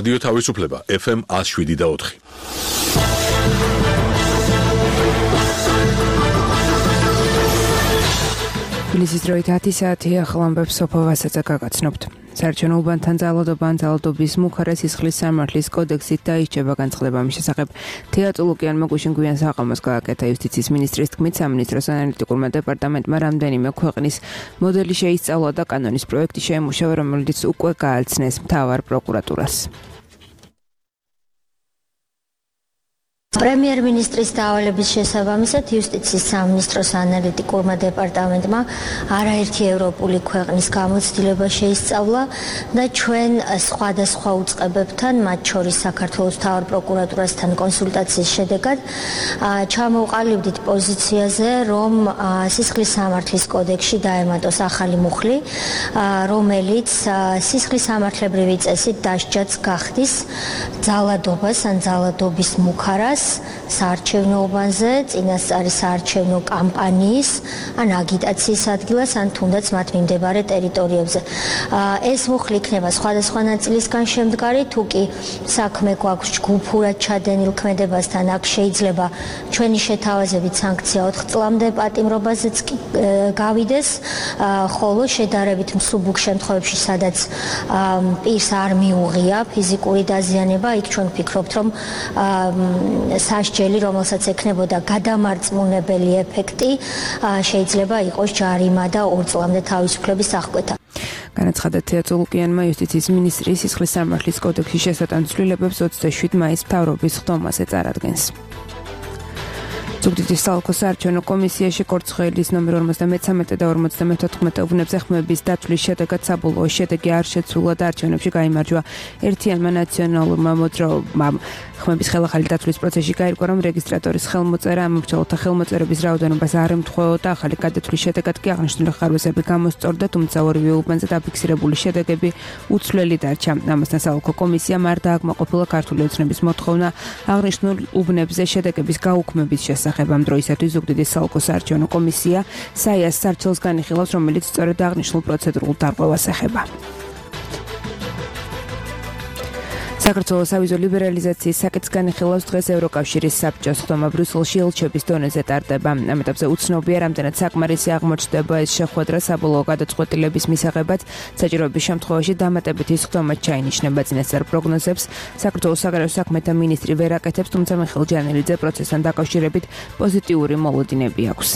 რადიო თავისუფლება FM 107.4. თბილისის დროით 10 საათი ახალამბებს სოფო ვასაძე გაგაცნობთ. საარჩევნო უბანთან ძალადობის მუხარა სისხლის სამართლის კოდექსით დაიჭება განცხადება მის შესახებ. თეა წულუკიანმა გუშინ გვიან საყომოს გააკეთა იუსტიციის მინისტრის თქმით, სამინისტროს ანალიტიკურმა დეპარტამენტმა რამდენიმე ქვეყნის მოდელი შეისწავლა და კანონის პროექტი შეემუშავა, რომელიც უკვე გააცნეს მთავარ პროკურატურას. პრემიერ-მინისტრის დავალების შესაბამისად იუსტიციის სამინისტროს ანალიტიკურმა დეპარტამენტმა არაერთი ევროპული ქვეყნის გამოცდილება შეისწავლა და ჩვენ სხვადასხვა უწყებებთან, მათ შორის საქართველოს მთავარ პროკურატურასთან კონსულტაციის შედეგად ჩამოვყალიბდით პოზიციაზე, რომ სისხლის სამართლის კოდექსში დაემატოს ახალი მუხლი, რომელიც სისხლის სამართლებრივი წესით დასჯაც გახდის ძალადობას ან ძალადობის მუხარას საარჩევნო უბანზე, წინასწარი საარჩევნო კამპანიის ან აგიტაციის ადგილას, ან თუნდაც მათ მიმდებარე ტერიტორიებზე. ეს მუხლი იქნება სხვადასხვა ნაწილისგან შემდგარი, თუ კი საქმე გვაქვს ჯგუფურად ჩადენილ ქმედებასთან, აქ შეიძლება ჩვენი შეთავაზებით სანქცია 4 წლამდე პატიმრობაზეც გავიდეს, ხოლო შედარებით მსუბუქ შემთხვევებში, სადაც პირს არ მიუღია ფიზიკური დაზიანება, იქ ჩვენ ვფიქრობთ, რომ სასჯელი, რომელსაც ექნებოდა გადამარწმუნებელი ეფექტი, შეიძლება იყოს ჯარიმა და 2 წლამდე თავისუფლების აღკვეთა. განაცხადა თეა წულუკიანმა იუსტიციის მინისტრის სისხლის სამართლის კოდექსის შესატან ცვლილებებს 27 მაისს მთავრობის ხდომაზე წარადგენს. ზუგდიდის საოლქო საარჩევნო კომისიაში კორცხელის ნომერ 53 და 54 უბნებზე ხმების დათვლის შედეგად საბოლოო შედეგი არ შეცვლა და არჩევნებში გაიმარჯვა ერთიანმა ნაციონალურმა მოძრაობამ. ხმების ხელახალი დათვლის პროცესში გაირკვა, რომ რეგისტრატორის ხელმოწერა ამომრჩეველთა ხელმოწერების რაოდენობას არ ემთხვეოდა, ახალი გადათვლის შედეგად კი აღნიშნული ხარვეზები გამოსწორდა, თუმცა ორივე უბანზე დაფიქსირებული შედეგები უცვლელი დარჩა. ამასთან საოლქო კომისიამ არ დააკმაყოფილა ქართული ოცნების მოთხოვნა აღნიშნულ უბნებზე შედეგების გაუქმების შესახებ. ამ დროისათვის ზუგდიდის საოლქო საარჩევნო კომისია საიას სარჩელს განიხილავს, რომელიც სწორედ აღნიშნულ პროცედურულ დარღვევას ეხება. საქართველოს ავიზო ლიბერალიზაციის საკითხს განიხილავს დღეს ევროკავშირის საბჭოს ხდომა ბრიუსელში ელჩების დონეზე ტარდება. ამ ეტაპზე უცნობია, რამდენად საკმარისი აღმოჩნდება ეს შეხვედრა საბოლოო გადაწყვეტილების მისაღებად. საჭიროების შემთხვევაში დამატებითი ხდომა ჩაინიშნება. წინასწარ პროგნოზებს საქართველოს საგარეო საქმეთა მინისტრი ვერ აკეთებს, თუმცა მიხეილ ჯანელიძე პროცესთან დაკავშირებით პოზიტიური მოლოდინები აქვს.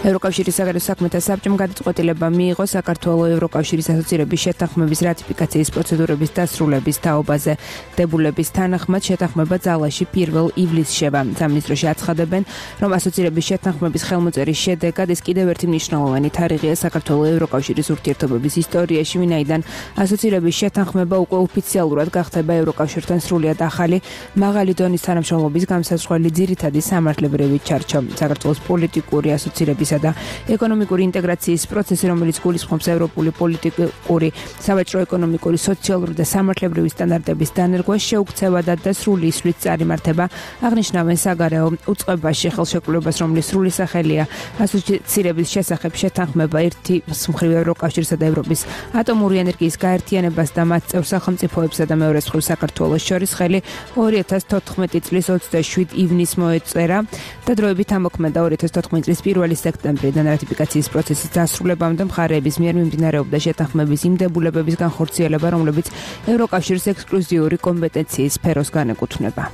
ევროკავშირის საგარეო საქმეთა საბჭომ გადაწყვეტილება მიიღო საქართველოს ევროკავშირის ასოცირების შეთანხმების რატიფიკაციის პროცედურების დასრულების თაობაზე. დებულების თანახმად შეთანხმება ძალაში 1 ივლისს შევა. სამინისტროში აცხადებენ, რომ ასოცირების შეთანხმების ხელმოწერის შედეგად ეს კიდევ ერთი მნიშვნელოვანი თარიღია საქართველოს ევროკავშირის ურთიერთობების ისტორიაში, ვინაიდან ასოცირების შეთანხმება უკვე ოფიციალურად გახდება ევროკავშირთან სრულიად ახალი, მაღალი დონის თანამშრომლობის გამსაცხელი ძირითადი სამართლებრივი ჩარჩო. საქართველოს პოლიტიკური ასოცირების და ეკონომიკური ინტეგრაციის პროცესი, რომელიც გულისხმობს ევროპული პოლიტიკური, სავაჭრო-ეკონომიკური, სოციალური და სამართლებრივი სტანდარტების დანერგვას, შეუქცევა და სრული ისვლით წარიმართება. აღნიშნავენ საგარეო უწყებაში ხელშეკრულებას, რომლის სრული სახელია ასოცირების შესახებ შეთანხმება ერთის მხრივ ევროკავშირსა და ევროპის ატომური ენერგიის გაერთიანებას და მათ წევრ სახელმწიფოებსა და მეორე მხრივ საქართველოს შორის ხელი 2014 წლის 27 ივნისს მოეწერა და დროებით ამოქმედა 2014 წლის 1 სექტემბრიდან რატიფიკაციის პროცესის დასრულებამდე მხარეების მიერ მიმდინარეობდა შეთანხმების იმ დებულებების განხორციელება, რომლებიც ევროკავშირის ექსკლუზიური კომპეტენციის სფეროს განეკუთვნება.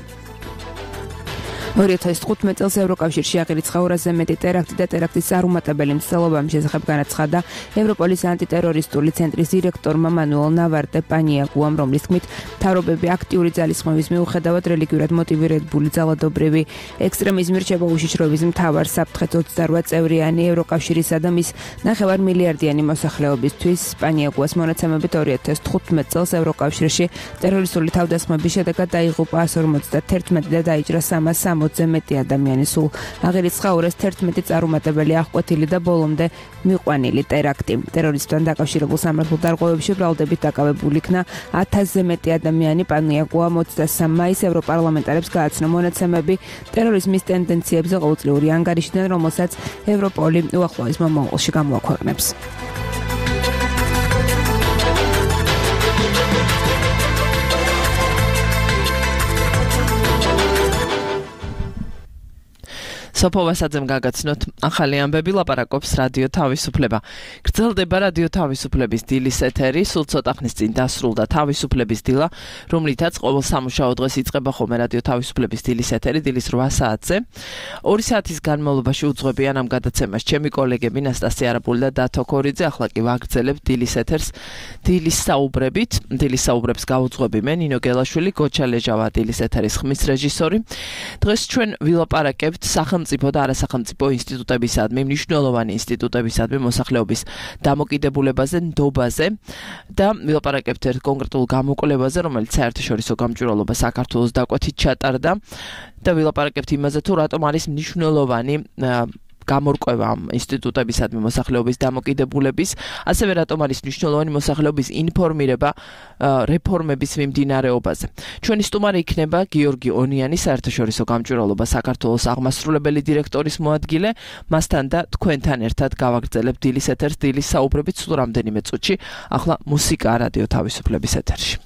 2015 წელს ევროკავშირში აღირიცხა 200-ზე მეტი ტერაქტი და ტერაქტის წარუმატებელი მცდელობა. ამ შესახებ განაცხადა ევროპოლის ანტიტერორისტული ცენტრის დირექტორმა მანუელ ნავარტე პანიაგუამ, რომლის თქმით, მთავრობები აქტიური ძალისხმევის მიუხედავად რელიგიურად მოტივირებული ძალადობრივი ექსტრემიზმი რჩება უშიშროების მთავარ საფრთხეს 28 წევრიანი ევროკავშირისა და მის 9 მილიარდიანი მოსახლეობისთვის. პანიაგუას მონაცემებით 2015 წელს ევროკავშირში ტერორისტული თავდასხმების შედეგად დაიღუპა 151 და დაიჭრა 360 მეტი ადამიანი. სულ აღირიცხა 211 წარუმატებელი აღკვეთილი და ბოლომდე მიყვანილი ტერაქტი. ტერორიზმთან დაკავშირებულ სამართალ დარღვევებში ბრალდებით დაკავებული იქნა 1000-ზე მეტი ადამიანი. პანიაგუამ 23 მაისს ევროპარლამენტარებს გააცნო მონაცემები ტერორიზმის ტენდენციებზე ყოველწლიური ანგარიშიდან, რომელსაც ევროპოლი უახლოეს მომავალში გამოაქვეყნებს. სოფო ვასაძემ გაგაცნოთ ახალი ამბები ლაპარაკობს რადიო თავისუფლება. გრძელდება რადიო თავისუფლების დილის ეთერი, სულ ცოტა ხნის წინ დასრულდა თავისუფლების დილა, რომლითაც ყოველ სამუშაო დღეს იწყება ხოლმე რადიო თავისუფლების დილის ეთერი, დილის 8 საათზე. 2 საათის განმავლობაში უძღვებიან ამ გადაცემას ჩემი კოლეგები ნასტასია არაბული და დათო ქორიძე. ახლა კი ვაგრძელებთ დილის ეთერს დილის საუბრებით. დილის საუბრებს გაუძღვები მე ნინო გელაშვილი, გოჩა ლეჟავა დილის ეთერის ხმის რეჟისორი. დღეს ჩვენ ვილაპარაკებთ სახელმწიფო და არასახელმწიფო ინსტიტუტებისადმი, მნიშვნელოვანი ინსტიტუტებისადმი მოსახლეობის დამოკიდებულებაზე, ნდობაზე და ვილაპარაკებთ ერთ კონკრეტულ გამოკვლევაზე, რომელიც საერთაშორისო გამჭვირვალობა საქართველოს დაკვეთით ჩატარდა და ვილაპარაკებთ იმაზე, თუ რატომ არის მნიშვნელოვანი გამორკვევა ამ ინსტიტუტებისადმი მოსახლეობის დამოკიდებულების, ასევე რატომ არის მნიშვნელოვანი მოსახლეობის ინფორმირება რეფორმების მიმდინარეობაზე. ჩვენი სტუმარი იქნება გიორგი ონიანი, საერთაშორისო გამჭვირვალობა საქართველოს აღმასრულებელი დირექტორის მოადგილე. მასთან და თქვენთან ერთად გავაგრძელებთ დილის ეთერს, დილის საუბრებით სულ რამდენიმე წუთში. ახლა მუსიკა რადიო თავისუფლების ეთერში.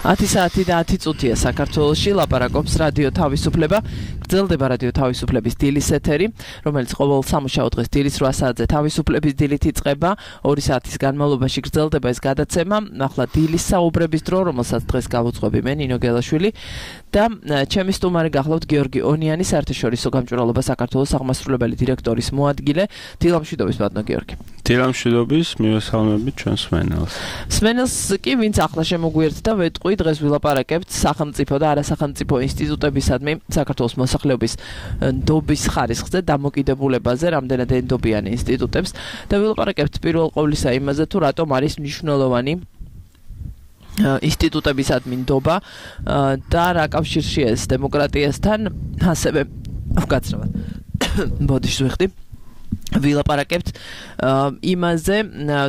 Ათი საათი და 10 წუთია საქართველოში ლაპარაკობს რადიო თავისუფლება. გრძელდება რადიო თავისუფლების დილის ეთერი, რომელიც ყოველ სამუშაო დღეს დილის 8 საათზე თავისუფლების დილით იწყება. 2 საათის განმავლობაში გრძელდება ეს გადაცემა. ახლა დილის საუბრების დრო, რომელსაც დღეს გავუძღვები მე, ნინო გელაშვილი და ჩემი სტუმარი გახლავთ გიორგი ონიანი, საერთაშორისო გამჭვირვალობა საქართველოს აღმასრულებელი დირექტორის მოადგილე. დილამშვიდობის ბატონო გიორგი. დილამშვიდობის, მივესალმებით ჩვენს სმენელს. სმენელს კი ვინც ახლა შემოგვიერთდა, ვეტყვი დღეს ვილაპარაკებთ სახელმწიფო და არასახელმწიფო ინსტიტუტებისადმი საქართველოს მოსახლეობის ნდობის ხარისხზე, დამოკიდებულებაზე, რამდენად ენდობიან ინსტიტუტებს და ვილაპარაკებთ პირველ ყოვლისა იმაზე, თუ რატომ არის მნიშვნელოვანი ინსტიტუტებისადმი ნდობა და რა კავშირშია ეს დემოკრატიასთან, ასევე ვკაცრავად. ბოდიშს ვიხდი. ვილაპარაკებთ იმაზე,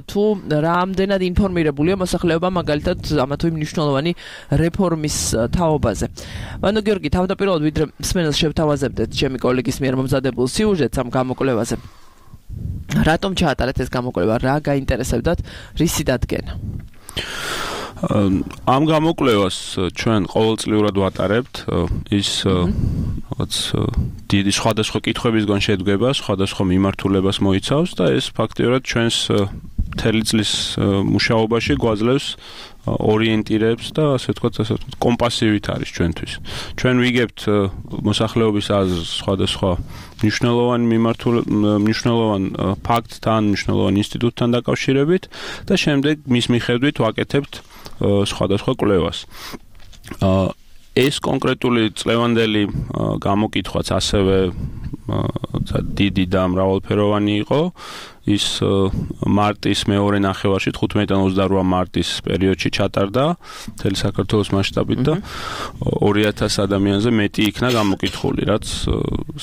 თუ რამდენად ინფორმირებულია მოსახლეობა მაგალითად ამა თუ იმ მნიშვნელოვანი რეფორმის თაობაზე. ბატონო გიორგი, თავდაპირველად ვიდრე სმენელს შევთავაზებდეთ ჩემი კოლეგის მიერ მომზადებულ სიუჟეტს ამ გამოკვლევაზე. რატომ ჩაატარეთ ეს გამოკვლევა? რა გაინტერესებდათ? რისი დადგენა? ამ გამოკვლევას ჩვენ ყოველწლიურად ვატარებთ. ის რაღაც დიდი სხვადასხვა კითხვებისგან შედგება, სხვადასხვა მიმართულებას მოიცავს და ეს ფაქტიურად ჩვენს მთელი წლის მუშაობაში გვაძლევს ორიენტირებს და ასე ვთქვათ, კომპასივით არის ჩვენთვის. ჩვენ ვიგებთ მოსახლეობის აზრს სხვადასხვა მნიშვნელოვან ფაქტთან, მნიშვნელოვან ინსტიტუტთან დაკავშირებით და შემდეგ მის მიხედვით ვაკეთებთ სხვადასხვა კვლევას. ეს კონკრეტული წლევანდელი გამოკითხვაც ასევე დიდი და მრავალფეროვანი იყო. ის მარტის მეორე ნახევარში 15-28 მარტის პერიოდში ჩატარდა მთელი საქართველოს მასშტაბით და 2000 ადამიანზე მეტი იქნა გამოკითხული, რაც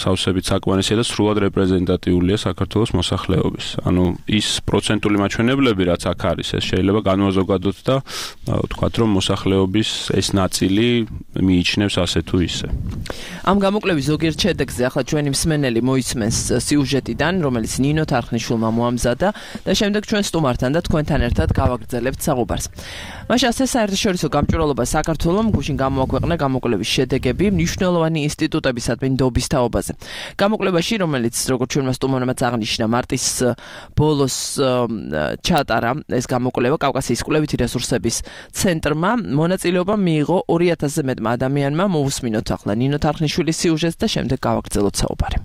სავსებით საკმარისია და სრულად რეპრეზენტატიულია საქართველოს მოსახლეობის. ანუ ის პროცენტული მაჩვენებლები, რაც აქ არის, ეს შეიძლება განვაზოგადოთ და ვთქვათ, რომ მოსახლეობის ეს ნაწილი მიიჩნევს ასე თუ ისე. ამ გამოკვლევის ზოგიერთ შედეგზე ახლა ჩვენი მსმენელი მოისმენს სიუჟეტიდან, რომელიც ნინო თარხნიშვილმა მოამზადა და შემდეგ ჩვენ სტუმართან და თქვენთან ერთად გავაგრძელებთ საუბარს. მაშინ ასე საერთაშორისო გამჭვირვალობა საქართველოს გუშინ გამოაქვეყნა გამოკვლევის შედეგები მნიშვნელოვანი ინსტიტუტებისადმი ნდობის თაობაზე. გამოკვლევაში, რომელიც როგორც ჩვენმა სტუმარმა აღნიშნა, მარტის ბოლოს ჩატარა ეს გამოკვლევა კავკასიის კვლევითი რესურსების ცენტრმა, მონაწილეობა მიიღო 2000-ზე მეტმა ადამიანმა. მოვუსმინოთ ახლა ნინო თარხნიშვილის სიუჟეტს და შემდეგ გავაგრძელოთ საუბარი.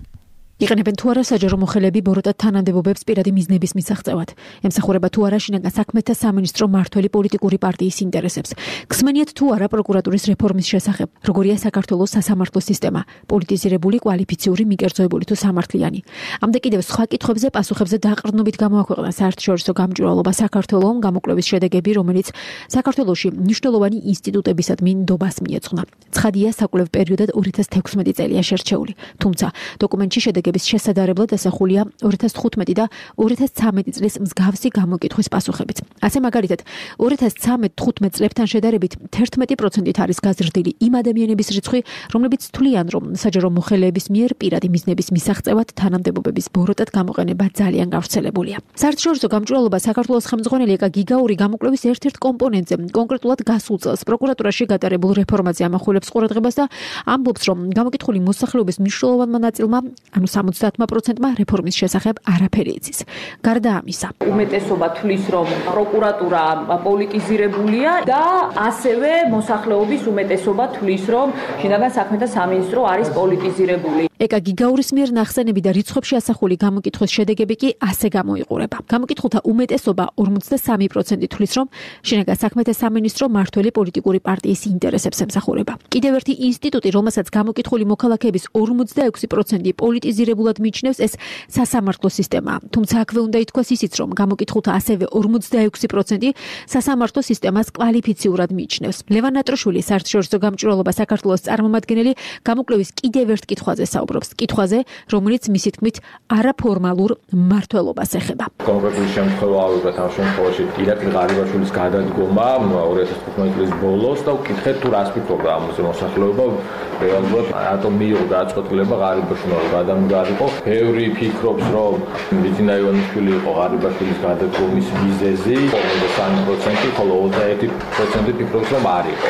იყენებენ თუ არა საჯარო მოხელეები ბოროტად თანამდებობებს პირადი მიზნების მისაღწევად. ემსახურება თუ არა შინაგან საქმეთა სამინისტრო მმართველი პოლიტიკური პარტიის ინტერესებს. გსმენიათ თუ არა პროკურატურის რეფორმის შესახებ. როგორია საქართველოს სასამართლო სისტემა, პოლიტიზირებული, კვალიფიციური, მიკერძოებული თუ სამართლიანი. ამდე კიდევ სხვა კითხვებზე პასუხებზე დაყრდნობით გამოაქვეყნა საერთაშორისო გამჭვირვალობა საქართველოს გამოკვლევის შედეგები, რომელიც საქართველოში მნიშვნელოვანი ინსტიტუტებისადმი ნდობას მიეძღვნა. ცხადია, საკვლევ პერიოდად 2016 წელია შერჩეული. თუმცა დოკუმენტში შედეგები შესადარებლად ასახულია 2015 და 2013 წლის მსგავსი გამოკითხვის პასუხებით. ასე მაგალითად, 2013-15 წლებთან შედარებით 11%-ით არის გაზრდილი იმ ადამიანების რიცხვი, რომლებიც თვლიან, რომ საჯარო მოხელეების მიერ პირადი მიზნების მისაღწევად თანამდებობების ბოროტად გამოყენება ძალიან გავრცელებულია. საერთაშორისო გამჭვირვალობა საქართველოს ხელმძღვანელი ეკა გიგაური გამოკვლევის ერთ-ერთ კომპონენტზე, კონკრეტულად გასულ წელს პროკურატურაში გატარებულ რეფორმაზე ამახვილებს ყურადღებას და ამბობს, რომ გამოკითხული მოსახლეობის მნიშვნელოვანმა ნაწილმა, ანუ 70%-მა რეფორმის შესახებ არაფერი იცის. გარდა ამისა, უმეტესობა თვლის, რომ პროკურატურა პოლიტიზირებულია და ასევე მოსახლეობის უმეტესობა თვლის, რომ შინაგან საქმეთა სამინისტრო არის პოლიტიზირებული. ეკა გიგაურის მიერ ნახსენები და რიცხვებში ასახული გამოკითხვის შედეგები კი ასე გამოიყურება. გამოკითხულთა უმეტესობა 43% თვლის, რომ შინაგან საქმეთა სამინისტრო მმართველი პოლიტიკური პარტიის ინტერესებს ემსახურება. კიდევ ერთი ინსტიტუტი, რომელსაც გამოკითხული მოქალაქეების 46% პოლიტიზირებულად მიიჩნევს, ეს სასამართლო სისტემაა. თუმცა აქვე უნდა ითქვას ისიც, რომ გამოკითხულთა ასევე 46% სასამართლო სისტემას კვალიფიციურად მიიჩნევს. ლევან ნატროშვილი, საერთაშორისო გამჭვირვალობა საქართველოს წარმომადგენელი, გამოკვლევის კიდევ ერთ კითხვაზე საუბრობს. კითხვაზე, რომელიც მისი თქმით არაფორმალურ მმართველობას ეხება. კონკრეტული შემთხვევა ავიღეთ ამ შემთხვევაში ირაკლი ღარიბაშვილის გადადგომა 2015 წლის ბოლოს და ვკითხეთ თუ რას ფიქრობდა ამაზე მოსახლეობა, რეალურად რატომ მიიღო გადაწყვეტილება ღარიბაშვილმა გადამდგარიყო. ბევრი ფიქრობს, რომ ბიძინა ივანიშვილი იყო ღარიბაშვილის გადადგომის მიზეზი, 53%, ხოლო 21% ფიქრობს, რომ არ იყო.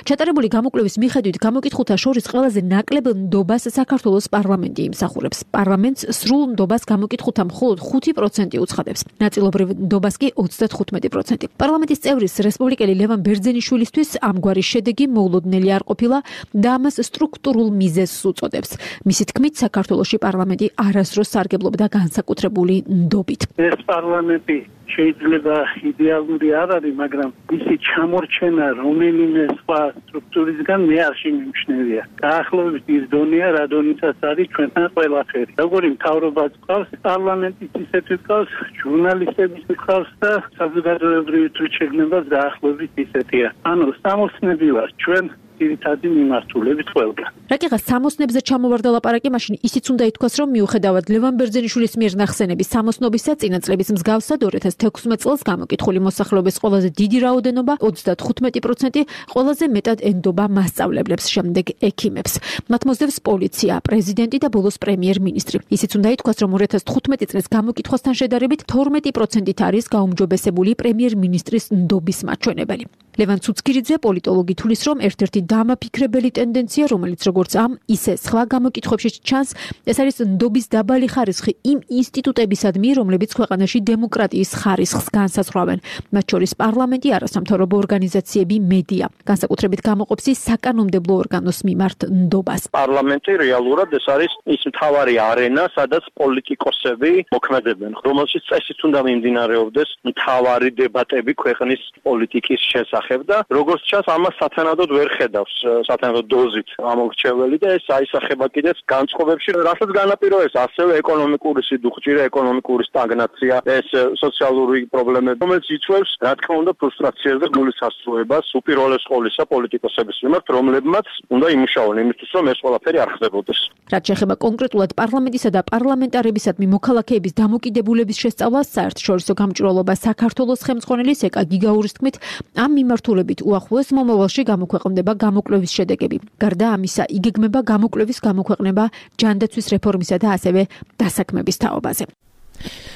ჩატარებული გამოკვლევის მიხედვით გამოკითხულთა შორის ყველაზე ნაკლებ ნდობას საქართველოს პარლამენტი იმსახურებს. პარლამენტს სრულ ნდობას გამოკითხულთა მხოლოდ 5% უცხადებს. ნაწილობრივ ნდობას კი 35%. პარლამენტის წევრის რესპუბლიკელი ლევან ბერძენიშვილისთვის ამგვარი შედეგი მოულოდნელი არ ყოფილა და ამას სტრუქტურულ მიზეზს უწოდებს. მისი თქმით, საქართველოში პარლამენტი არასდროს სარგებლობდა განსაკუთრებული ნდობით. ეს პარლამენტი შეიძლება იდეალური არ არის, მაგრამ ისი ჩამორჩენა რომელიმე სხვა სტრუქტურისგან მე არ შემიმჩნევია. დაახლოებით ის დონეა, რა დონითაც არის ჩვენთან ყველაფერი. როგორი მთავრობაც ყავს, პარლამენტიც ისეთი ყავს, ჟურნალისტებიც ყავს და საზოგადოებრივი თვითშეგნებაც დაახლოებით ისეთია. ანუ სამოსნები ვარ ჩვენ ძირითადი მიმართულებით ყველგან. რაკიღა სამოსნებზე ჩამოვარდა ლაპარაკი, მაშინ ისიც უნდა ითქვას, რომ მიუხედავად ლევან ბერძენიშვილის მიერ ნახსენების სამოსნობისა, წინა წლების მსგავსად 2016 წელს გამოკითხული მოსახლეობის ყველაზე დიდი რაოდენობა 35%, ყველაზე მეტად ენდობა მასწავლებლებს, შემდეგ ექიმებს. მათ მოსდევს პოლიცია, პრეზიდენტი და ბოლოს პრემიერ-მინისტრი. ისიც უნდა ითქვას, რომ 2015 წლის გამოკითხვასთან შედარებით 12%-ით არის გაუმჯობესებული პრემიერ-მინისტრის ნდობის მაჩვენებელი. ლევან ცუცქირიძე, პოლიტოლოგი, თulis, რომ ერთ-ერთი დამაფიქრებელი ტენდენცია, რომელიც როგორც ამ, ისე სხვა გამოკითხვებში ჩანს, ეს არის ნდობის დაბალი ხარისხი იმ ინსტიტუტებისადმი, რომლებიც ქვეყანაში დემოკრატიის ხარისხს განსაზღვრავენ, მათ შორის პარლამენტი, არასამთავრობო ორგანიზაციები, მედია. განსაკუთრებით გამოყოფს ის საკანონმდებლო ორგანოს მიმართ ნდობას. პარლამენტი რეალურად ეს არის ის მთავარი არენა, სადაც პოლიტიკოსები მოქმედებენ, რომელშიც წესით უნდა მიმდინარეობდეს მთავარი დებატები ქვეყნის პოლიტიკის შესახებ და როგორც ჩანს, ამას სათანადოდ ვერ ხედავს სათანადო დოზით ამორჩეველი და ეს აისახება კიდეც განწყობებში, რასაც განაპირობებს ასევე ეკონომიკური სიდუხჭირე, ეკონომიკური სტაგნაცია, ეს სოციალური პრობლემები, რომელიც იწვევს, რა თქმა უნდა, ფრუსტრაციას და გულის ასრულებას უპირველეს ყოვლისა პოლიტიკოსების მიმართ, რომლებმაც უნდა იმუშაონ იმისთვის, რომ ეს ყველაფერი არ ხდებოდეს. რაც შეეხება კონკრეტულად პარლამენტისა და პარლამენტარებისადმი მოქალაქეების დამოკიდებულების შესწავლას, საერთაშორისო გამჭვირვალობა საქართველოს ხელმძღვანელის ეკა გიგაურის თქმით, ამ მიმართულებით უახლოეს მომავალში გამოქვეყნდება გამოკვლევის შედეგები. გარდა ამისა, იგეგმება გამოკვლევის გამოქვეყნება ჯანდაცვის რეფორმისა და ასევე დასაქმების თაობაზე.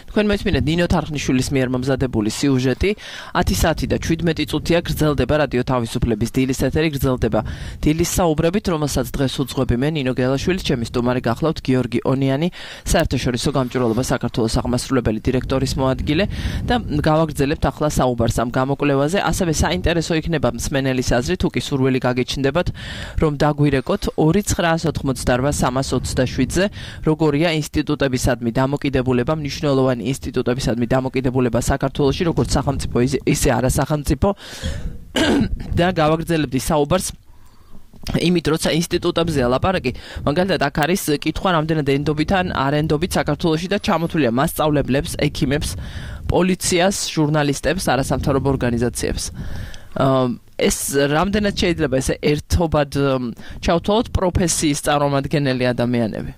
თქვენ მოისმინეთ ნინო თარხნიშვილის მიერ მომზადებული სიუჟეტი 10 საათი და 17 წუთია გრძელდება რადიო თავისუფლების დილის ეთერი გრძელდება დილის საუბრებით, რომელსაც დღეს უძღვები მე ნინო გელაშვილი, ჩემი სტუმარი გახლავთ გიორგი ონიანი, საერთაშორისო გამჭვირვალობა საქართველოს აღმასრულებელი დირექტორის მოადგილე და გავაგრძელებთ ახლა საუბარს ამ გამოკვლევაზე. ასევე საინტერესო იქნება მსმენელის აზრი, თუ კი სურვილი გაგეჩნდებათ, რომ დაგვირეკოთ 2988327-ზე, როგორია ინსტიტუტებისადმი დამოკიდებულება, მნიშვნელოვანი ინსტიტუტებისადმი დამოკიდებულება საქართველოში, როგორც სახელმწიფო, ისე არასახელმწიფო და გავაგრძელებდი საუბარს იმით, როცა ინსტიტუტებზეა ლაპარაკი, მაგალითად აქ არის კითხვა, რამდენად ენდობით ან არ ენდობით საქართველოში და ჩამოთვლილია მასწავლებლებს, ექიმებს, პოლიციას, ჟურნალისტებს, არასამთავრობო ორგანიზაციებს. ეს რამდენად შეიძლება ესე ერთობად ჩავთვალოთ პროფესიის წარმომადგენელი ადამიანები?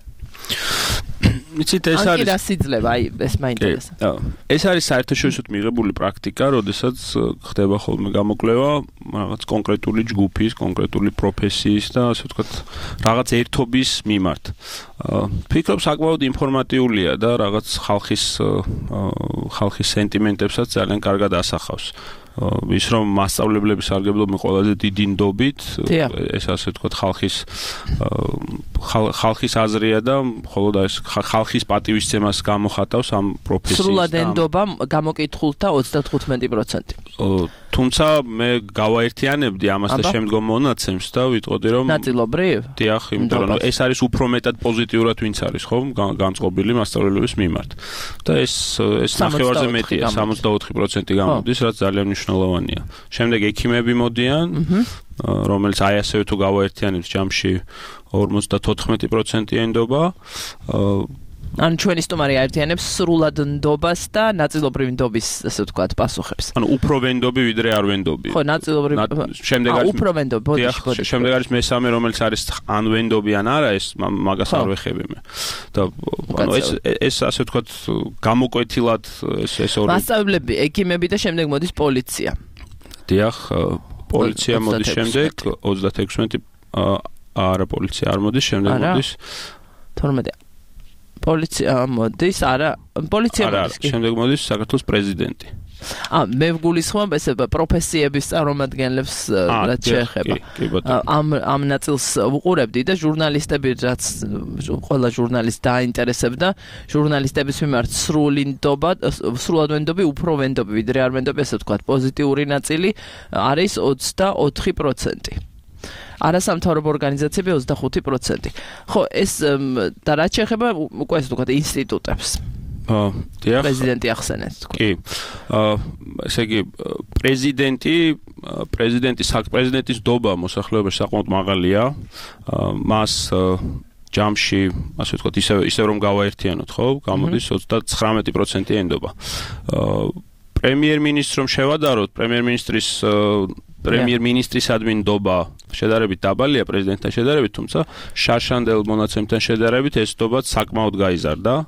იცით, ეს არის სიძლება, აი ეს მაინტერესებს. ეს არის საერთაშორისოდ მიღებული პრაქტიკა, როდესაც ხდება ხოლმე გამოკვლევა რაღაც კონკრეტული ჯგუფის, კონკრეტული პროფესიის და ასე ვთქვათ, რაღაც ერთობის მიმართ. ფიქრობ, საკმაოდ ინფორმატიულია და რაღაც ხალხის სენტიმენტებსაც ძალიან კარგად ასახავს. ის რომ მასწავლებლების სარგებლობენ ყველაზე დიდი ნდობით, ეს ასე ვთქვათ, ხალხის აზრია და მხოლოდ ეს ხალხის პატივისცემას გამოხატავს ამ პროფესიის. სრულად ენდობა გამოკითხულთა 35%. თუმცა მე გავაერთიანებდი ამას და შემდგომ მონაცემს და ვიტყოდი, რომ ნაწილობრივ? დიახ, იმიტომ რომ ეს არის უფრო მეტად პოზიტიურად ვინც არის, ხო, განწყობილი მასწავლებლების მიმართ. და ეს ნახევარზე მეტია, 64% გამოდის, რაც ძალიან მნიშვნელოვანია. შემდეგ ექიმები მოდიან, რომელიც აი ასევე თუ გავაერთიანებთ ჯამში 54% ენდობა. ან ჩვენი სტუმარი აერთიანებს სრულად ნდობას და ნაწილობრივ ნდობის, ასე ვთქვათ, პასუხებს. ანუ უფრო ვენდობი ვიდრე არ ვენდობი. ხო, ნაწილობრივ. შემდეგ არის უფრო ვენდობი, ბოდიში. შემდეგ არის მესამე, რომელიც არის ან ვენდობი ან არა, ეს მაგას არ ვეხები მე. და ანუ ეს ასე ვთქვათ, გამოკვეთილად ეს ორი. მასწავლებლები, ექიმები და შემდეგ მოდის პოლიცია. დიახ, პოლიცია მოდის შემდეგ 36 არა პოლიცია არ მოდის, შემდეგ მოდის 12 პოლიცია მოდის, არა, პოლიცია მოდის. შემდეგ მოდის საქართველოს პრეზიდენტი. მე ვგულისხმობ ესე პროფესიების წარმომადგენლებს რაც შეეხება. ამ ნაწილს ვუყურებდი და ჟურნალისტები რაც ყველა ჟურნალისტი დაინტერესებდა, ჟურნალისტების მიმართ სრულად ვენდობი, უფრო ვენდობი, ვიდრე არ ვენდობი, ესე ვთქვათ, პოზიტიური ნაწილი არის 24%. არასამთავრობო ორგანიზაციები 25%. ხო, ეს და რაც შეეხება უკვე ესე ვთქვათ ინსტიტუტებს. პრეზიდენტი ახსენეთ თქვენ. კი. ესე იგი პრეზიდენტის დობა მოსახლეობაში საკმაოდ მაღალია. მას ჯამში, ასე ვთქვათ, ისე რომ გავაერთიანოთ, ხო? გამოდის 39% ენდობა. პრემიერ-მინისტრს რომ შევადაროთ, პრემიერ-მინისტრის ადმინდობა შედარებით დაბალია პრეზიდენტთან შედარებით, თუმცა შარშანდელ მონაცემთან შედარებით ეს დობაც საკმაოდ გაიზარდა.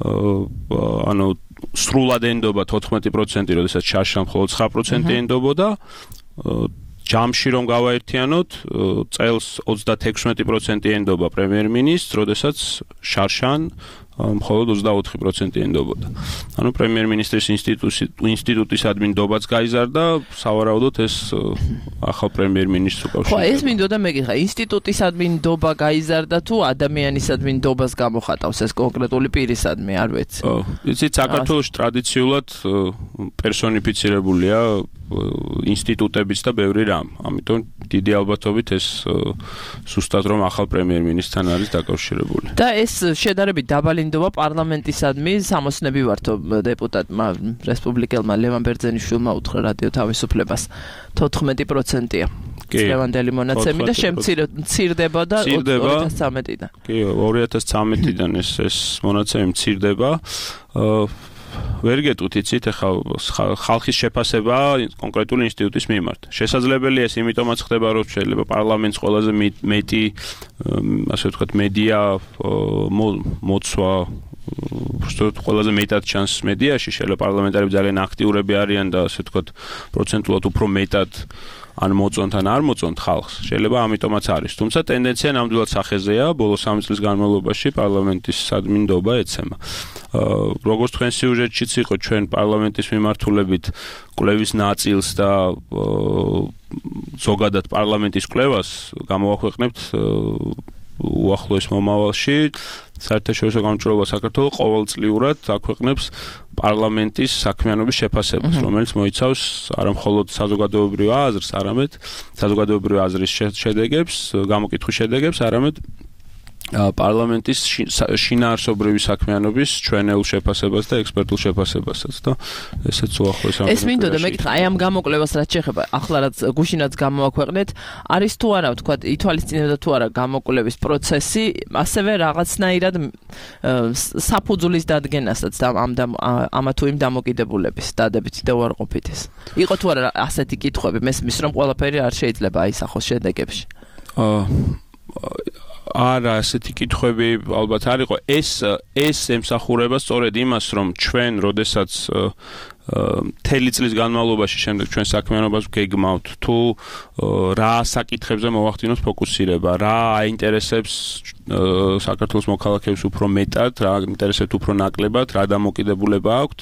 ანუ სრულად ენდობა 14%, როდესაც შარშან მხოლოდ 9% ენდობოდა. ჯამში რომ გავაერთიანოთ, წელს 36% ენდობა პრემიერ-მინისტრს, როდესაც შარშან მხოლოდ 24% ენდობოდა. ანუ პრემიერ-მინისტრის ინსტიტუტის ადმინდობაც გაიზარდა, სავარაუდოდ ეს ახალ პრემიერ-მინისტრს უკავშირდება. ხო, ეს მინდოდა მეკითხა, ინსტიტუტის ადმინდობა გაიზარდა თუ ადამიანის ადმინდობას გამოხატავს ეს კონკრეტული პირისადმი, არ ვიცი. იცით, საქართველოში ტრადიციულად პერსონიფიცირებულია ინსტიტუტებიც და ბევრი რამ. ამიტომ დიდი ალბათობით ეს სუსტად რომ ახალ პრემიერ-მინისტრთან არის დაკავშირებული. და ეს შედარებით დაბალი ინდობა პარლამენტისადმი სამოსნები ვართო დეპუტატმა რესპუბლიკელმა ლევან ბერძენიშვილმა უთხრა რადიო თავისუფლებას 14%-ია. წლევანდელი მონაცემი და შემცირდება და 2013-დან. კი, 2013-დან ეს მონაცემი მცირდება. ვერ გეტყვით, იცით, ახლა ხალხის შეფასება კონკრეტული ინსტიტუტის მიმართ. შესაძლებელია ეს იმიტომაც ხდება, რომ შეიძლება პარლამენტს ყველაზე მეტი, ასე ვთქვათ, მედია მოცვა, უბრალოდ ყველაზე მეტად ჩანს მედიაში, შეიძლება პარლამენტარები ძალიან აქტიურები არიან და ასე ვთქვათ, პროცენტულად უფრო მეტად ან მოწონთ ან არ მოწონთ ხალხს. შეიძლება ამიტომაც არის. თუმცა ტენდენცია ნამდვილად სახეზეა, ბოლო 3 წლის განმავლობაში პარლამენტის ადმინდობა ეცემა. როგორც თქვენ სიუჟეტშიც იყო, ჩვენ პარლამენტის მიმართულებით კვლევის ნაწილს და ზოგადად პარლამენტის კვლევას გამოვაქვეყნებთ უახლოეს მომავალში. საერთაშორისო გამჭვირვალობა საქართველოს ყოველწლიურად აქვეყნებს პარლამენტის საქმიანობის შეფასებას, რომელიც მოიცავს არამხოლოდ საზოგადოებრივ აზრს, არამედ საზოგადოებრივ აზრის შედეგებს, გამოკითხვის შედეგებს, არამედ პარლამენტის შინაარსობრივი საქმიანობის ჩვენეულ შეფასებას და ექსპერტულ შეფასებასაც და ესეც უახლოეს ამ. ეს მინდოდა მეკითხა, აი ამ გამოკვლევას რაც შეეხება, ახლა რაც გუშინაც გამოვაქვეყნეთ, არის თუ არა, ვთქვათ, ითვალისწინებდა თუ არა გამოკვლევის პროცესი, ასევე რაღაცნაირად საფუძვლის დადგენასაც ამა თუ იმ დამოკიდებულების დადებითი და უარყოფითის. იყო თუ არა ასეთი კითხვები, მესმის რომ ყველაფერი არ შეიძლება აისახოს შედეგებში. არა, ასეთი კითხვები ალბათ არ იყო. ეს ემსახურება სწორედ იმას, რომ ჩვენ, როდესაც მთელი წლის განმავლობაში შემდეგ ჩვენ საქმიანობას გეგმავთ, თუ რა საკითხებზე მოვახდინოთ ფოკუსირება, რა აინტერესებს საქართველოს მოქალაქეებს უფრო მეტად, რა აინტერესებს უფრო ნაკლებად, რა დამოკიდებულება აქვთ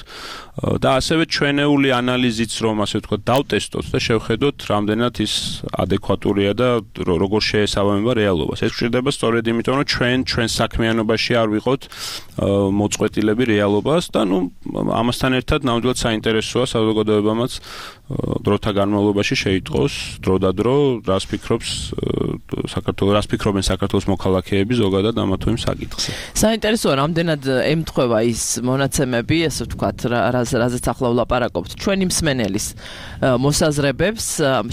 და ასევე ჩვენეული ანალიზიც რომ ასე ვთქვათ დავტესტოთ და შევხედოთ, რამდენად ის ადეკვატურია და როგორ შეესაბამება რეალობას. ეს გვჭირდება სწორედ იმიტომ, რომ ჩვენ საქმიანობაში არ ვიყოთ მოწყვეტილები რეალობას და ამასთან ერთად ნამდვილად საინტერესოა საზოგადოებამაც დროთა განმავლობაში შეიტყოს დროდადრო რას ფიქრობენ საქართველოს მოქალაქეები ზოგადად ამა თუ იმ საკითხზე. საინტერესოა რამდენად ემთხვევა ის მონაცემები, ასე ვთქვათ, რაზეც ახლა ვლაპარაკობთ, ჩვენი მსმენელის მოსაზრებებს,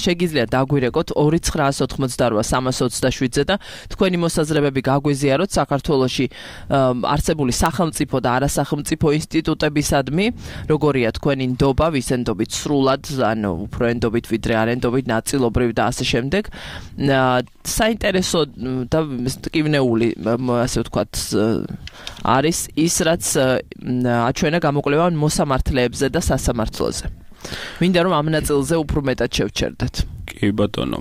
შეგიძლიათ დაგვირეკოთ 2988327-ზე და თქვენი მოსაზრებები გაგვიზიაროთ საქართველოში არსებული სახელმწიფო და არასახელმწიფო ინსტიტუტებისადმი, როგორია თქვენი ნდობა, ვის ენდობით სრულად, ანუ უფრო ენდობით ვიდრე არ ენდობით, ნაწილობრივ და ასე შემდეგ. საინტერესო და მტკივნეული, ასე ვთქვათ, არის ის, რაც აჩვენა გამოკვლევა მოსამართლეებზე და სასამართლოზე. მინდა რომ ამ ნაწილზე უფრო მეტად შევჩერდეთ. კი ბატონო.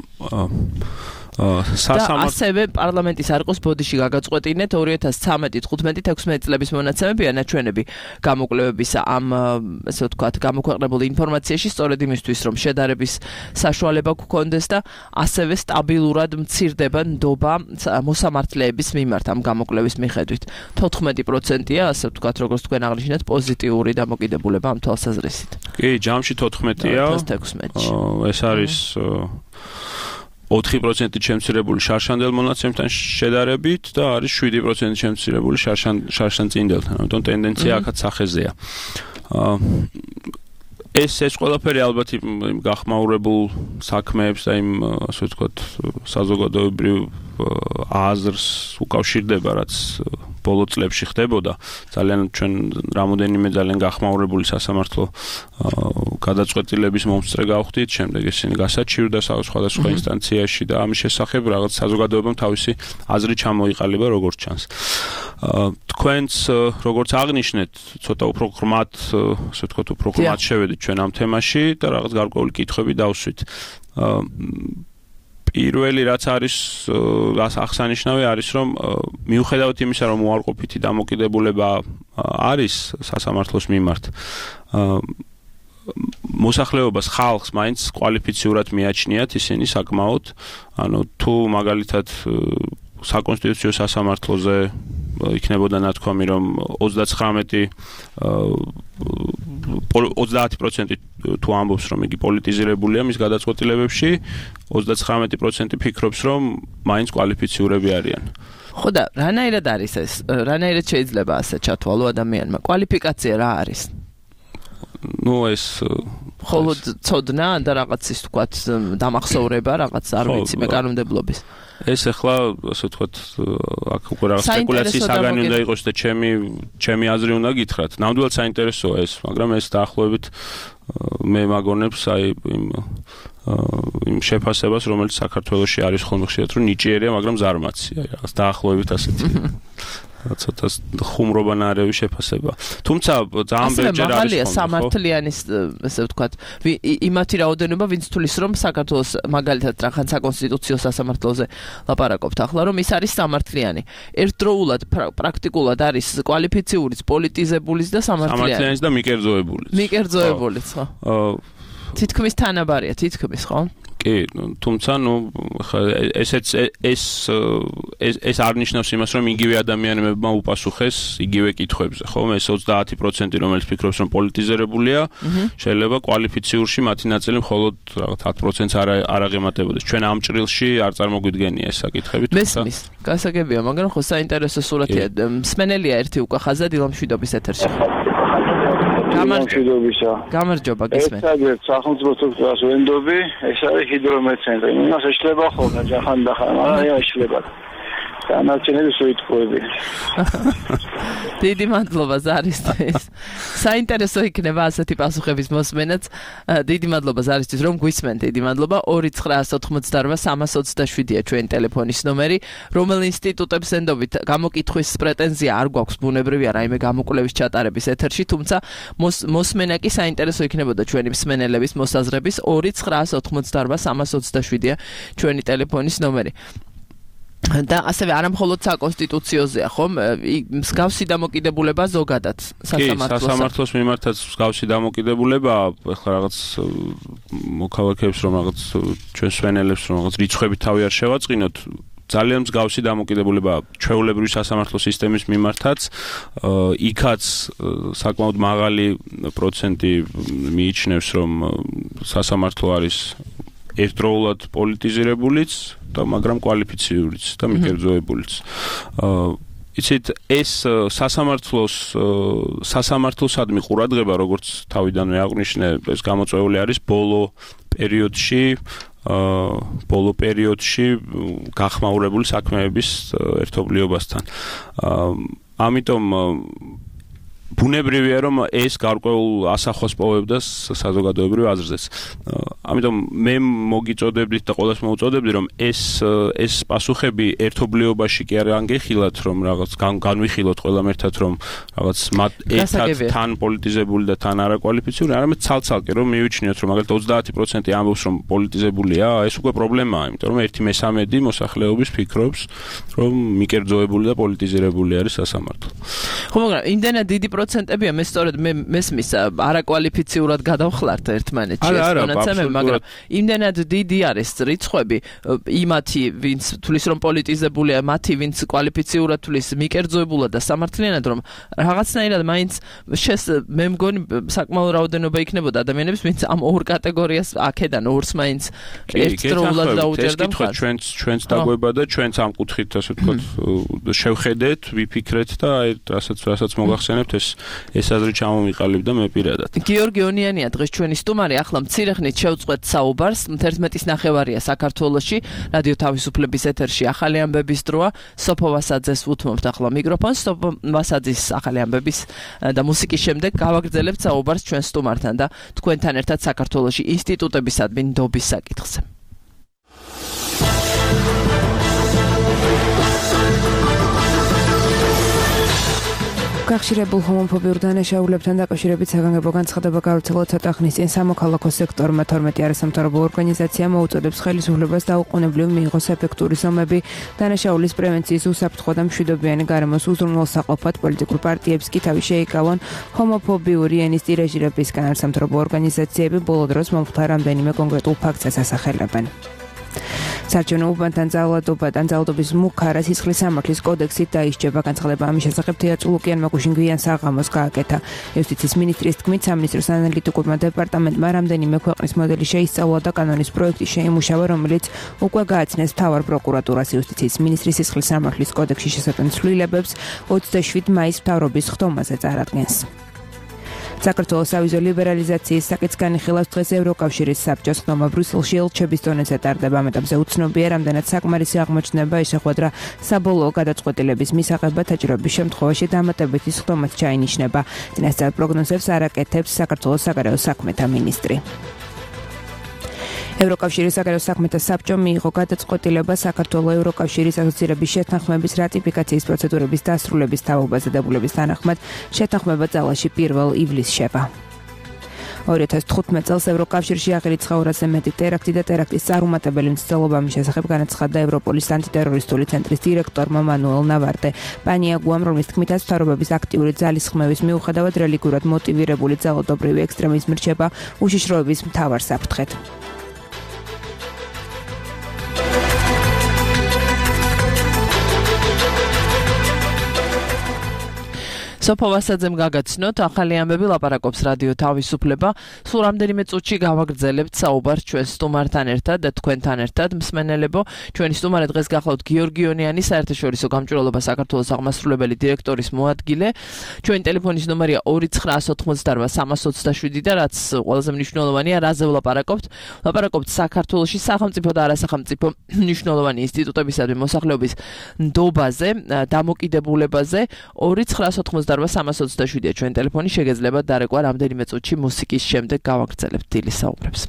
ასევე პარლამენტის არყოს ბოდიში გაგაწყვეტინეთ 2013-15-16 წლების მონაცემები ანაჩვენები გამოკვლევების ამ ასე ვთქვათ გამოქვეყნებულ ინფორმაციაში სწორედ იმისთვის რომ შედარების საშუალება გქონდეს და ასევე სტაბილურად მცირდება ნდობა მოსამართლეების მიმართ ამ გამოკვლევის მიხედვით 14%-ია ასე ვთქვათ როგორც თქვენ აღნიშნეთ პოზიტიური დამოკიდებულება ამ თვალსაზრისით. კი, ჯამში 14-ია. ეს არის 4% შემცირებული შარშანდელ მონაცემთან შედარებით და არის 7% შემცირებული შარშანწინდელთან. ამიტომ ტენდენცია აქაც სახეზეა. ეს ყველაფერი ალბათ იმ გახმაურებულ საქმეებს და იმ ასე ვთქვათ საზოგადოებრივ აზრს უკავშირდება, რაც ბოლო წლებში ხდებოდა. ძალიან ჩვენ რამოდენიმე ძალიან გახმაურებული სასამართლო გადაწყვეტილების მომსწრე გავხდით, შემდეგ ისინი გასაჩივრდა სხვადასხვა ინსტანციაში და ამის შესახებ რაღაც საზოგადოებამ თავისი აზრი ჩამოიყალიბა როგორც ჩანს. თქვენც როგორც აღნიშნეთ, ცოტა უფრო ღრმად, ასე ვთქვათ, უფრო ღრმად შევედით ჩვენ ამ თემაში და რაღაც გარკვეული კითხვები დავსვით. პირველი რაც არის აღსანიშნავი არის რომ მიუხედავად იმისა რომ უარყოფითი დამოკიდებულება არის სასამართლოს მიმართ მოსახლეობას ხალხს მაინც კვალიფიციურად მიაჩნიათ ისინი საკმაოდ ანუ თუ მაგალითად საკონსტიტუციო სასამართლოზე იქნებოდა ნათქვამი რომ 30% თუ ამბობს რომ იგი პოლიტიზირებულია მის გადაწყვეტილებებში 39% ფიქრობს რომ მაინც კვალიფიციურები არიან. ხო და რანაირად არის ეს? რანაირად შეიძლება ასე ჩათვალო ადამიანმა? კვალიფიკაცია რა არის? ნუ ეს მხოლოდ ცოდნა და რაღაც ის თქვათ დამახსოვრება რაღაც არ ვიცი მე კანონმდებლობის. ეს ახლა ასე ვთქვათ აქ უკვე რაღაც სპეკულაციის საგანი უნდა იყოს და ჩემი აზრი უნდა გითხრათ. ნამდვილად საინტერესოა ეს, მაგრამ ეს დაახლოებით მე მაგონებს აი იმ შეფასებას, რომელიც საქართველოში არის ხოლმე ხშირად, რომ ნიჭიერია, მაგრამ ზარმაცი, აი რაღაც დაახლოებით ასეთი. ცოტა ხუმრობანარევი შეფასება. თუმცა ძალიან ბევრჯერ არის ხოლმე სამართლიანის ესე ვთქვათ იმათი რაოდენობა ვინც თulis რომ საქართველოს მაგალითად რახან საკონსტიტუციო სასამართლოზე ლაპარაკობთ ახლა რომ ის არის სამართლიანი. ერთდროულად პრაქტიკულად არის კვალიფიციურიც, პოლიტიზებულიც და სამართლიანიც და მიკერძოებულიც. მიკერძოებულიც ხო? თითქმის თანაბარია, თითქმის ხო? კი, თუმცა ნუ ეს არ ნიშნავს იმას, რომ იგივე ადამიანებმა უპასუხეს იგივე კითხვებზე, ხო? ეს 30% რომელიც ფიქრობს, რომ პოლიტიზირებულია, შეიძლება კვალიფიციურში მათი ნაწილი მხოლოდ 10%-ს არ აღემატებოდეს. ჩვენ ამ ჭრილში არ წარმოგვიდგენია ეს საკითხები, თუმცა გასაგებია, მაგრამ ხო საინტერესო სურათია. მსმენელია ერთი უკვე ხაზად ილამშვიდობის ეთერში. გამარჯობა გისმენთ. ერთადერთ სახელმწიფო სტრუქტურას ვენდობი, ეს არის ჰიდრომეცენტრი. იმას შეიძლება ხოლმე ჯახანდახან, მაგრამ შეიძლება. დანარჩენები სუიტყუები. დიდი მადლობა ზარისთვის. საინტერესო იქნება ასეთი პასუხების მოსმენაც. დიდი მადლობა ზარისთვის რომ გვისმენთ. დიდი მადლობა 2988327-ია ჩვენი ტელეფონის ნომერი. რომელ ინსტიტუტებს ენდობით გამოკითხვის პრეტენზია არ გვაქვს ბუნებრივია რაიმე გამოკვლევის ჩატარების ეთერში, თუმცა მოსმენა კი საინტერესო იქნებოდა ჩვენი მსმენელების მოსაზრების 2988327-ია ჩვენი ტელეფონის ნომერი. და ასევე არა მხოლოდ საკონსტიტუციოზეა, ხომ? მსგავსი დამოკიდებულება ზოგადად სასამართლოს. სასამართლოს მიმართაც მსგავსი დამოკიდებულება, ახლა რაღაც მოქალაქეებს რომ რაღაც ჩვენ სვენელებს რომ რაღაც რიცხვებით თავი არ შევაწყინოთ, ძალიან მსგავსი დამოკიდებულება ჩვეულებრივი სასამართლო სისტემის მიმართაც, იქაც საკმაოდ მაღალი პროცენტი მიიჩნევს რომ სასამართლო არის ერთდროულად პოლიტიზირებულიც და მაგრამ კვალიფიციურიც და მიკერძოებულიც. იცით ეს სასამართლოსადმი ყურადღება როგორც თავიდანვე აღვნიშნე ეს გამოწვეული არის ბოლო პერიოდში გახმაურებული საქმეების ერთობლიობასთან. ამიტომ ბუნებრივია რომ ეს გარკვეულ ასახვას პოვებდა საზოგადოებრივ აზრზეც. ამიტომ მე მოგიწოდებდით და ყველას მოვუწოდებდი რომ ეს პასუხები ერთობლიობაში კი არ ანგეხილათ რომ რაღაც განვიხილოთ ყველამ ერთად რომ რაღაც მათ ერთად თან პოლიტიზებული და თან არაკვალიფიციური, არამედ ცალ-ცალკე რომ მივიჩნიოთ რომ მაგალითად 30% ამბობს რომ პოლიტიზებულია, ეს უკვე პრობლემაა, იმიტომ რომ 1/13 მოსახლეობის ფიქრობს რომ მიკერძოებული და პოლიტიზირებული არის სასამართლო. ხო, მაგრამ იმდენად დიდი პროცენტებია, მე სწორედ მესმის არაკვალიფიციურად გადავხლართ ერთმანეთში ეს მონაცემები, მაგრამ იმდენად დიდი არის რიცხვები იმათი, ვინც თulis რომ პოლიტიზებულია, მათი ვინც კვალიფიციურად თulis მიკერძოებულად და სამართლიანად რომ რაღაცნაირად მაინც მე მგონი საკმაო რაოდენობა იქნებოდა ადამიანებს, ვინც ამ ორ კატეგორიას აქედან ორს მაინც ერთდროულად დაუჭერდა მხარს. ჩვენც დაგვება და ჩვენც ამ კუთხით ასე ვთქვათ შევხედეთ, ვიფიქრეთ და რასაც მოგახსენებთ ეს აზრი ჩამომიყალიბდა მე პირადად. გიორგი ონიანია დღეს ჩვენი სტუმარი, ახლა მცირე ხნით შევწყვეთ საუბარს. 11:09 საქართველოში რადიო თავისუფლების ეთერში ახალი ამბების დროა. სოფო ვასაძეს უთმობთ ახლა მიკროფონს. სოფო ვასაძის ახალი ამბების და მუსიკის შემდეგ გავაგრძელებთ საუბარს ჩვენ სტუმართან და თქვენთან ერთად საქართველოში ინსტიტუტებისადმი ნდობის საკითხზე. გახშირებულ ჰომოფობიურ დანაშაულებთან დაკავშირებით საგანგებო განცხადება გავრცელა ცოტა ხნის წინ სამოქალაქო სექტორმა 12 არასამთავრობო ორგანიზაციამ მოუწოდებს ხელისუფლებას დაუყოვნებლივ მიიღოს ეფექტური ზომები დანაშაულის პრევენციის უსაფრთხო და მშვიდობიანი გარემოს უზრუნველსაყოფად. პოლიტიკურ პარტიებს კი თავი შეიკავონ ჰომოფობიური ენის ტირაჟირებისგან. არასამთავრობო ორგანიზაციები ბოლო დროს მომხდარ რამდენიმე კონკრეტულ ფაქტს ასახელებენ. საარჩევნო უბანთან ძალადობის მუქარა სისხლის სამართლის კოდექსით დაისჯება. განცხადება ამის შესახებ თეატრ ლუკიანმა გუშინგვიან საღამოს გააკეთა. იუსტიციის მინისტრის თქმით, სამინისტროს ანალიტიკურმა დეპარტამენტმა რამდენიმე ქვეყნის მოდელი შეისწავლა და კანონის პროექტი შეიმუშავა, რომელიც უკვე გააცნეს მთავარ პროკურატურას. იუსტიციის მინისტრის სისხლის სამართლის კოდექსში შესატან ცვლილებებს 27 მაისს მთავრობის ხდომაზე წარადგენს. საქართველოს ავიზო ლიბერალიზაციის საკითხს განიხილავს დღეს ევროკავშირის საბჭოს ხდომა ბრიუსელში ელჩების დონეზე ტარდება. ამ ეტაპზე უცნობია, რამდენად საკმარისი აღმოჩნდება შეხვედრა საბოლოო გადაწყვეტილების მისაღებად. საჭიროების შემთხვევაში დამატებითი ხდომაც ჩაინიშნება. წინასწარ პროგნოზებს არაკეთებს საქართველოს საგარეო საქმეთა მინისტრი. ევროკავშირის საგარეო საქმეთა საბჭომ მიიღო გადაწყვეტილება საქართველოს ევროკავშირის ასოცირების შეთანხმების რატიფიკაციის პროცედურების დასრულების თავობაზე დებულების თანახმად შეთანხმება ძალაში 1 ივლისს შევა. 2015 წელს ევროკავშირში აღიარეთ 200-ზე მეტი ტერაქტი და ტერაქტის წარუმატებელი მცდელობა მის შესახებ განაცხადა ევროპოლის ანტიტერორისტული ცენტრის დირექტორმა მანუელ ნავარტე პანიაგუამ, რომლის თქმითაც მთავრობების აქტიური ძალისხმევის მიუხედავად რელიგიურად მოტივირებული ძალადობრივი ექსტრემიზმი რჩება უშიშროების მთავარ საფრთხედ. სოფო ვასაძემ გაგაცნოთ ახალი ამბები ლაპარაკობს რადიო თავისუფლება. სულ რამდენიმე წუთში გავაგრძელებთ საუბარს ჩვენ სტუმართან ერთად და თქვენთან ერთად. მსმენელებო, ჩვენი სტუმარი დღეს გახლავთ გიორგი ონიანი, საერთაშორისო გამჭვირვალობა საქართველოს აღმასრულებელი დირექტორის მოადგილე. ჩვენი ტელეფონის ნომერია 29188 და რაც ყველაზე მნიშვნელოვანია, რაზე ვლაპარაკობთ? ვლაპარაკობთ საქართველოში სახელმწიფო და არასახელმწიფო მნიშვნელოვანი ინსტიტუტებისადმი მოსახლეობის ნდობაზე, დამოკიდებულებაზე. 29188 ჩვენ ტელეფონი შეგეძლებათ დარეკვა რამდენიმე წუთში მუსიკის შემდეგ გავაგრძელებთ დილის საუბრებს.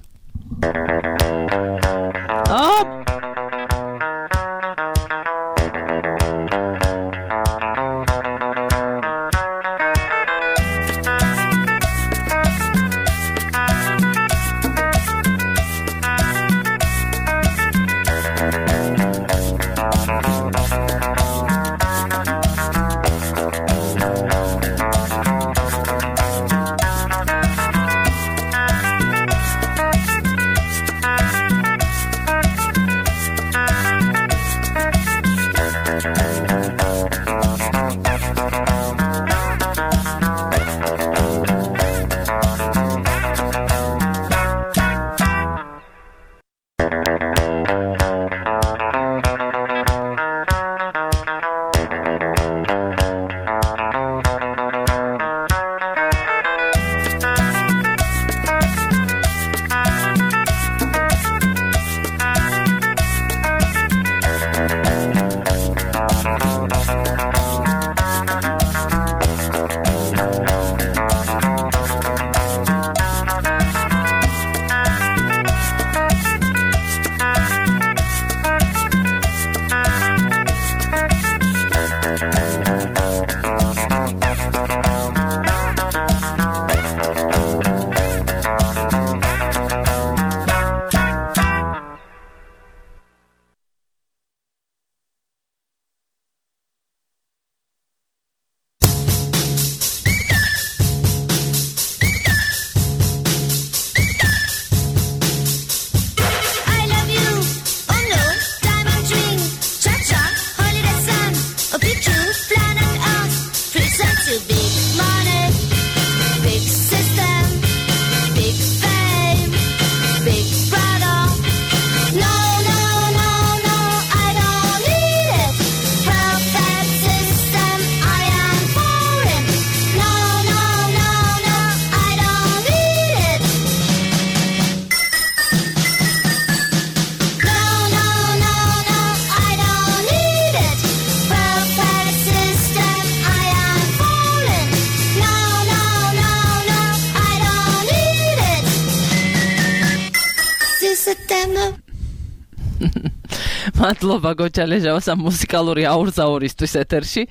მადლობა გოჩალეჟავას ამ მუსიკალური აურზაურისთვის ეთერში.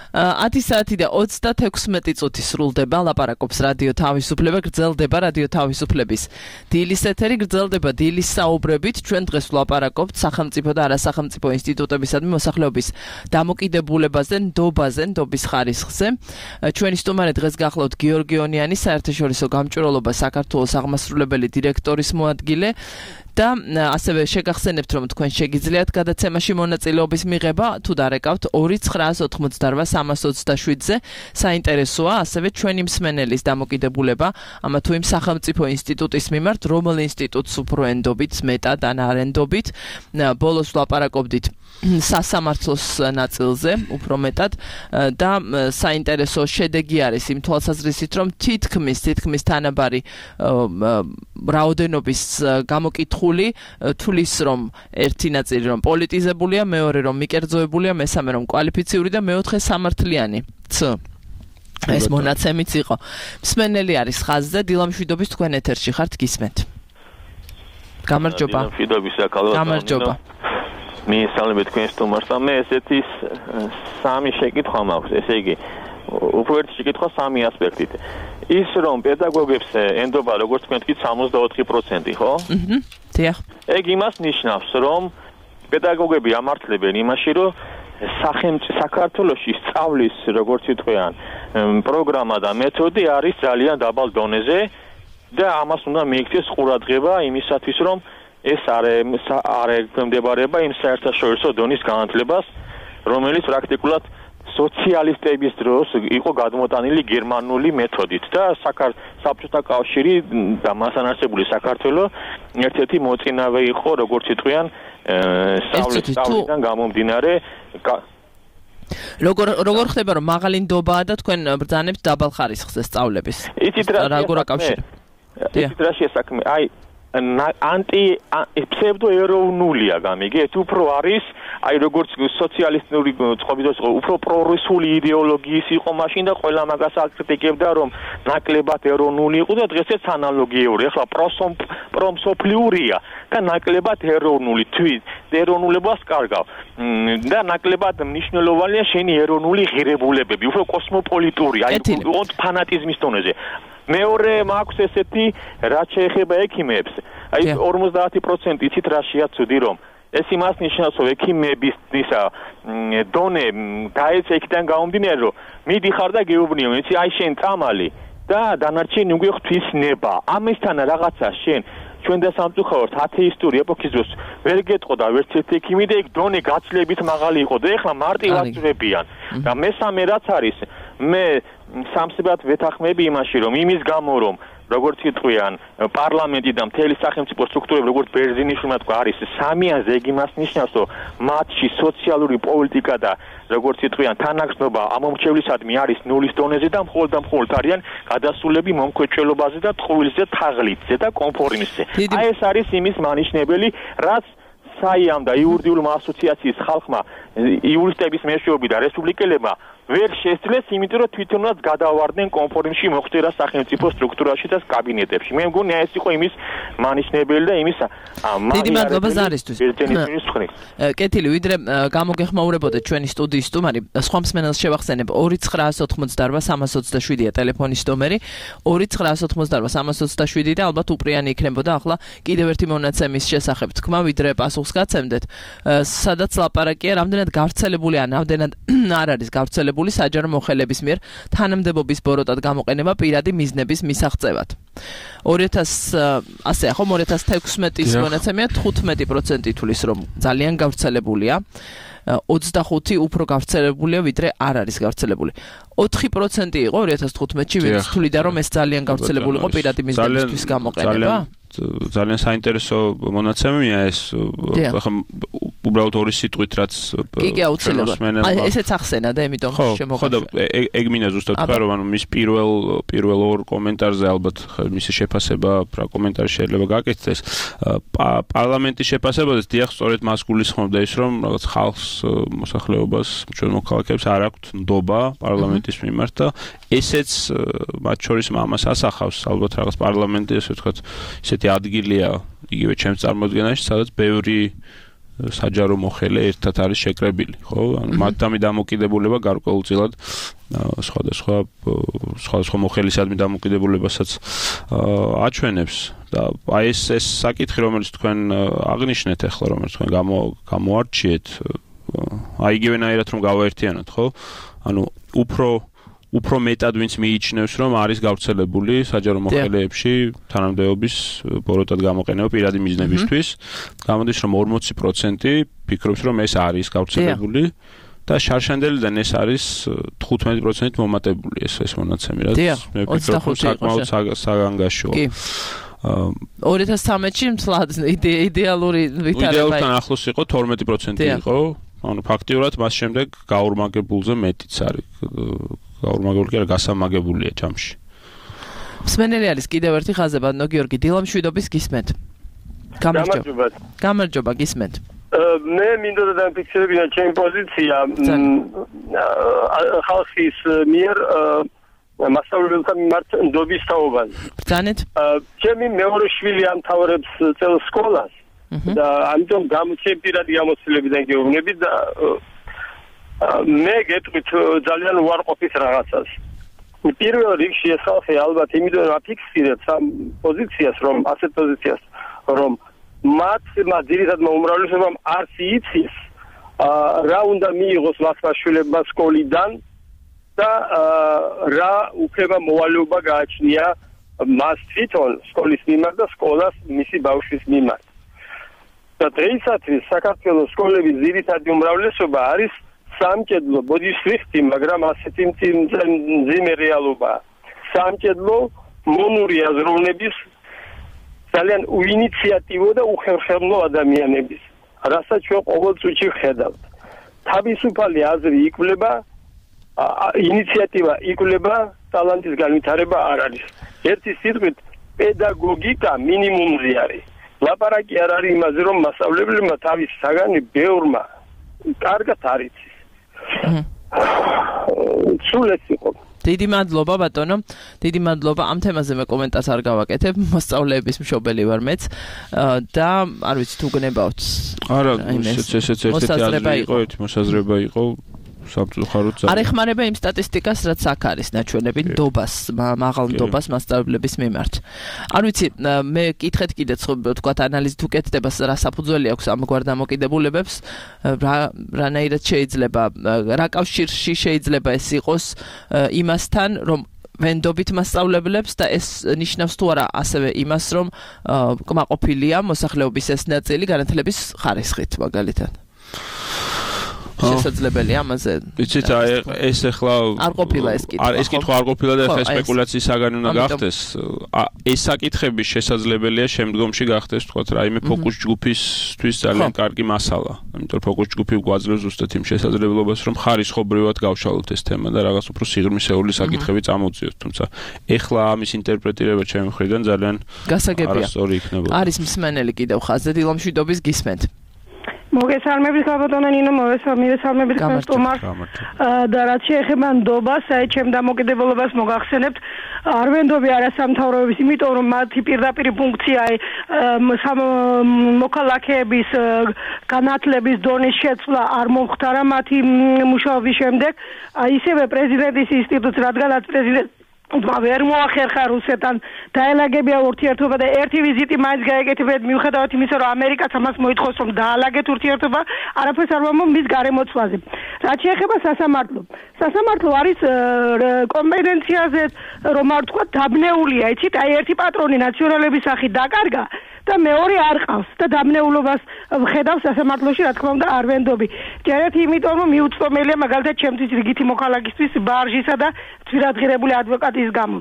10 საათი და 36 წუთი სრულდება, ლაპარაკობს რადიო თავისუფლება, გრძელდება რადიო თავისუფლების დილის ეთერი, გრძელდება დილის საუბრებით. ჩვენ დღეს ვლაპარაკობთ სახელმწიფო და არასახელმწიფო ინსტიტუტებისადმი მოსახლეობის დამოკიდებულებაზე, ნდობის ხარისხზე. ჩვენი სტუმარი დღეს გახლავთ გიორგი ონიანი, საერთაშორისო გამჭვირვალობა საქართველოს აღმასრულებელი დირექტორის მოადგილე. და ასევე შეგახსენებთ, რომ თქვენ შეგიძლიათ გადაცემაში მონაწილეობის მიღება, თუ დარეკავთ 2988327-ზე. საინტერესოა ასევე ჩვენი მსმენელის დამოკიდებულება ამა თუ იმ სახელმწიფო ინსტიტუტის მიმართ, რომელ ინსტიტუტს უფრო ენდობით, მეტად ან არ ენდობით. ბოლოს ვლაპარაკობდით სასამართლოს ნაწილზე, უფრო მეტად და საინტერესო შედეგი არის იმ თვალსაზრისით, რომ თითქმის თანაბარი რაოდენობის გამოკითხული თulis რომ ერთი ნაწილი რომ პოლიტიზებულია, მეორე რომ მიკერძოებულია, მესამე რომ კვალიფიციური და მეოთხე სამართლიანი. ეს მონაცემიც იყო. მსმენელი არის ხაზზე, დილამშვიდობის თქვენ ეთერში ხართ, გისმენთ. გამარჯობა. დილამშვიდობის აკალო. გამარჯობა. მისალმებით თქვენ სტუმარს და მე ესეთი სამი შეკითხვა მაქვს, ესე იგი უფრო ერთი შეკითხვა სამი ასპექტით. ის რომ პედაგოგებს ენდობა როგორც თქვენ თქვით 64%, ხო? დიახ. ეგ იმას ნიშნავს, რომ პედაგოგები ამართლებენ იმაში, რომ საქართველოში სწავლის როგორც იტყვიან პროგრამა და მეთოდი არის ძალიან დაბალ დონეზე და ამას უნდა მიიქცეს ყურადღება იმისათვის, რომ ეს არ ექვემდებარება იმ საერთაშორისო დონის განათლებას, რომელიც პრაქტიკულად სოციალისტების დროს იყო გადმოტანილი გერმანული მეთოდით და საბჭოთა კავშირი და მასთან არსებული საქართველოს ერთ-ერთი მოწინავე იყო, როგორც იტყვიან, სწავლიდან გამომდინარე. როგორ ხდება, რომ მაღალი ნდობაა და თქვენ ბრძანებთ დაბალ ხარისხზე სწავლების? როგორ აკავშირებ? იცით რა შესაქმე? აი ფსევდოეროვნულია გამიგე, ეს უფრო არის, აი როგორც სოციალისტური წყობის უფრო პრორუსული იდეოლოგიის იყო მაშინ და ყველა მაგას აკრიტიკებდა, რომ ნაკლებად ეროვნული იყო და დღესაც ანალოგიური. ახლა პრომსოფლიურია და ნაკლებად ეროვნული, თვით ეროვნულებას კარგავ. და ნაკლებად მნიშვნელოვანია შენი ეროვნული ღირებულებები, უფრო კოსმოპოლიტური, აი ფანატიზმის დონეზე. მეორე მაქვს ესეთი, რაც შეეხება ექიმებს. აი 50% იცით რა შეაცვდი, რომ ეს იმას ნიშნავს, რომ ექიმების დონე დაეცა იქიდან გამომდინარე, რომ მიდიხარ და გეუბნიო, იცი აი შენ წამალი და დანარჩენი უკვე ღვთისნება. ამისთან რაღაცა შენ ჩვენ და სამწუხაროდ ათეისტური ეპოქის დროს ვერ გეტყო და ვერც ერთი ექიმი და იქ დონე გაცლებით მაღალი იყო და ეხლა მარტივად ძვებიან. და მესამე რაც არის, მე სამსებად ვეთანხმები იმაში, რომ იმის გამო რომ როგორც იტყვიან პარლამენტი და მთელი სახელმწიფო სტრუქტურები როგორც ბერძენიშვილმა თქვა არის სამიანზე, ეგ იმას ნიშნავს, რომ მათში სოციალური პოლიტიკა და როგორც იტყვიან თანაგრძნობა ამომრჩევლისადმი არის ნულის დონეზე და მხოლოდ არიან გადასულები მომქვეჭველობაზე და ტყუილზე, თაღლითზე და კონფორმისზე. აი ეს არის იმის მანიშნებელი, რაც საიამ და იურიდიულმა ასოციაციის ხალხმა, იურისტების მეშვეობი და რესპუბლიკელებმა ვერ შესძლეს, იმიტომ რომ თვითონაც გადავარდნენ კონფორმში მოხდერა სახელმწიფო სტრუქტურაში და კაბინეტებში. მე მგონია ეს იყო იმის მანიშნებელი და იმის დიდი მადლობა ზარისთვის. კეთილი, ვიდრე გამოგეხმაურებოდეთ ჩვენი სტუდიის სტუმარი, სხვა მსმენელს შევახსენებ 2988327-ია ტელეფონის ნომერი, 2988327 და ალბათ უპრიანი იქნებოდა ახლა კიდევ ერთი მონაცემის შესახებ თქვა, ვიდრე პასუხს გაცემდეთ. სადაც ლაპარაკია, რამდენად გავრცელებული ან რამდენად არ არის გავრცელებული საჯარო მოხელების მიერ თანამდებობის ბოროტად გამოყენება პირადი მიზნების მისაღწევად. 2016-ის მონაცემია 15% თulis რომ ძალიან გავრცელებულია. 25 უფრო გავრცელებულია, ვიდრე არ არის გავრცელებული. 4% იყო 2015-ში, ვინც თვლიდა, რომ ეს ძალიან გავრცელებული იყო პირადი მიზნებისთვის გამოყენება. ძალიან საინტერესო მონაცემია ეს. უბრალოდ ორი სიტყვით რაც კი აუცილებლად ესეც ახსენა და ამიტომ შემოგაშვება. ხო და ეგ მინდა ზუსტად თქვა რომ ანუ მის პირველ ორ კომენტარზე ალბათ მისი შეფასება რა კომენტარი შეიძლება გაკეთდეს პარლამენტის შეფასებაზე დიახ სწორედ მას გულისხმობდა ის რომ რაღაც ხალხს მოსახლეობას ჩვენ მოქალაქეებს არ აქვთ ნდობა პარლამენტის მიმართ და ესეც მათ შორის ამას ასახავს ალბათ რაღაც პარლამენტი ესე ვთქვათ ისეთი ადგილია იგივე ჩემს წარმოდგენაში სადაც ბევრი საჯარო მოხელე ერთად არის შეკრებილი, ხო? ანუ მათთამი დამოკიდებულება გარკვეულწილად სხვადასხვა მოხელისადმი დამოკიდებულებასაც აჩვენებს და აი ეს საკითხი რომელიც თქვენ აღნიშნეთ ახლა რომელიც თქვენ გამოარჩიეთ აი იგივენაირად რომ გავაერთიანოთ, ხო? ანუ უფრო მეტად ვინც მიიჩნევს რომ არის გავრცელებული საჯარო მოხელეებში თანამდებობის ბოროტად გამოყენება პირადი მიზნებისთვის გამოდის რომ 40% ფიქრობს რომ ეს არის გავრცელებული და შარშანდელიდან ეს არის 15% მომატებული ეს მონაცემი რაც მე ვფიქრობ რომ საკმაოდ საგანგაშოა 2013-ში მსლად იდეალური ვითარება იდეალთან ახლოს იყო 12% იყო ანუ ფაქტიურად მას შემდეგ გაურმაგებულზე მეტიც არის გაურმაგებული კი არა გასამაგებულია ჯამში. მსმენელი არის კიდევ ერთი ხაზებადნო გიორგი დილამშვიდობის გისმენთ. გამარჯობა გისმენთ. მე მინდოდა დამფიქსირებინა ჩემი პოზიცია ხალხის მიერ მასშტაბებთან მიმართ ნდობის თაობაზე. ბრძანეთ. ჩემი მეორე შვილი ამთავრებს წელს სკოლას და ამიტომ ჩემი პირადი გამოცდილებიდან გეუბნები და მე გეტყვით ძალიან უარყოფით რაღაცას. პირველ რიგში ეს ხალხი ალბათ იმიტომ აფიქსირებს ამ პოზიციას რომ ასეთ პოზიციას რომ მათმა ძირითადმა უმრავლესობამ არც იცის რა უნდა მიიღოს მათმა შვილებმა სკოლიდან და რა უფლება მოვალეობა გააჩნია მას თვითონ სკოლის მიმართ და სკოლას მისი ბავშვის მიმართ. და დღეისათვის საქართველოს სკოლების ძირითადი უმრავლესობა არის სამჭედლო ბოდიშრიფტი, მაგრამ ასეთი მძიმე რეალობაა. სამჭედლო მონური აზროვნების ძალიან უინიციატივო და უხერხემლო ადამიანების, რასაც ჩვენ ყოველ წუთში ვხედავთ. თავისუფალი აზრი იკვლება, ინიციატივა იკვლება, ტალანტის განვითარება არ არის. ერთი სიტყვით, პედაგოგიკა მინიმუმზე არის. ლაპარაკი არ არის იმაზე, რომ მასწავლებლებმა თავის საგანი ბევრმა კარგად არ იცის. სულეც იყო. დიდი მადლობა ბატონო. დიდი მადლობა. ამ თემაზე მე კომენტარს არ გავაკეთებ. მოსწავლეების მშობელი ვარ მეც და არ ვიცი თუ გნებავთ. არა, ესეც ერთი მოსაზრება იყო. არ ეხმარება იმ სტატისტიკას, რაც აქ არის ნაჩვენები ნდობას, მაღალ ნდობას მასწავლებლების მიმართ. არ ვიცი, მე კითხეთ კიდეც თქვათ ანალიზით უკეთდება, რა საფუძველი აქვს ამგვარ დამოკიდებულებებს, რანაირად შეიძლება, რა კავშირში შეიძლება ეს იყოს იმასთან, რომ ვენდობით მასწავლებლებს და ეს ნიშნავს თუ არა ასევე იმას, რომ კმაყოფილია მოსახლეობის ეს ნაწილი განათლების ხარისხით, მაგალითად. შესაძლებელია ამაზე. იცით, ეს ახლა არ ყოფილა ეს კითხვა. ეს კითხვა არ ყოფილა და ახლა სპეკულაციის საგანი უნდა გახდეს. ეს საკითხები შესაძლებელია შემდგომში გახდეს, თქვათ, რაიმე ფოკუს ჯგუფისთვის ძალიან კარგი მასალა. ამიტომ ფოკუს ჯგუფი გვაძლევს ზუსტად იმ შესაძლებლობას, რომ ხარისხობრივად გავშალოთ ეს თემა და რაღაც უფრო სიღრმისეული საკითხები წამოვწიოთ. თუმცა ახლა ამის ინტერპრეტირება ჩემი მხრიდან ძალიან არასწორი იქნებოდა. არის მსმენელი კიდევ ხაზზე დილამშვიდობის გისმენთ. მოგესალმებით გაბატონო ნინო, მოგესალმებით სტუმარ და რაც შეეხება ნდობას, აი ჩემ დამოკიდებულებას მოგახსენებთ, არ ვენდობი არასამთავრობების, იმიტომ რომ მათი პირდაპირი ფუნქცია მოქალაქეების განათლების დონის შეცვლა არ მომხდარა მათი მუშაობის შემდეგ, ისევე პრეზიდენტის ინსტიტუტს, რადგანაც პრეზიდენტი ვერ მოახერხა რუსეთთან დაელაგებია ურთიერთობა და ერთი ვიზიტი მაინც გაეკეთებიათ მიუხედავად იმისა, რომ ამერიკაც ამას მოითხოვს, რომ დაალაგეთ ურთიერთობა, არაფერს არ ვამბობ მის გარემოცვლაზე. რაც შეეხება სასამართლო არის კომპეტენციაზე, რომ არ ვთქვა, დაბნეულია, იცით, აი ერთი პატრონი ნაციონალების სახით დაკარგა და მეორე არ ყავს და დამნეულობას ვხედავს სასამართლოში, რა თქმა უნდა, არ ვენდობი. ჯერეთ იმიტომ რომ მიუწვდომელია მაგალითად ჩემთვის რიგითი მოქალაქისთვის ბარჟისა და ძვირადღირებული ადვოკატის გამო.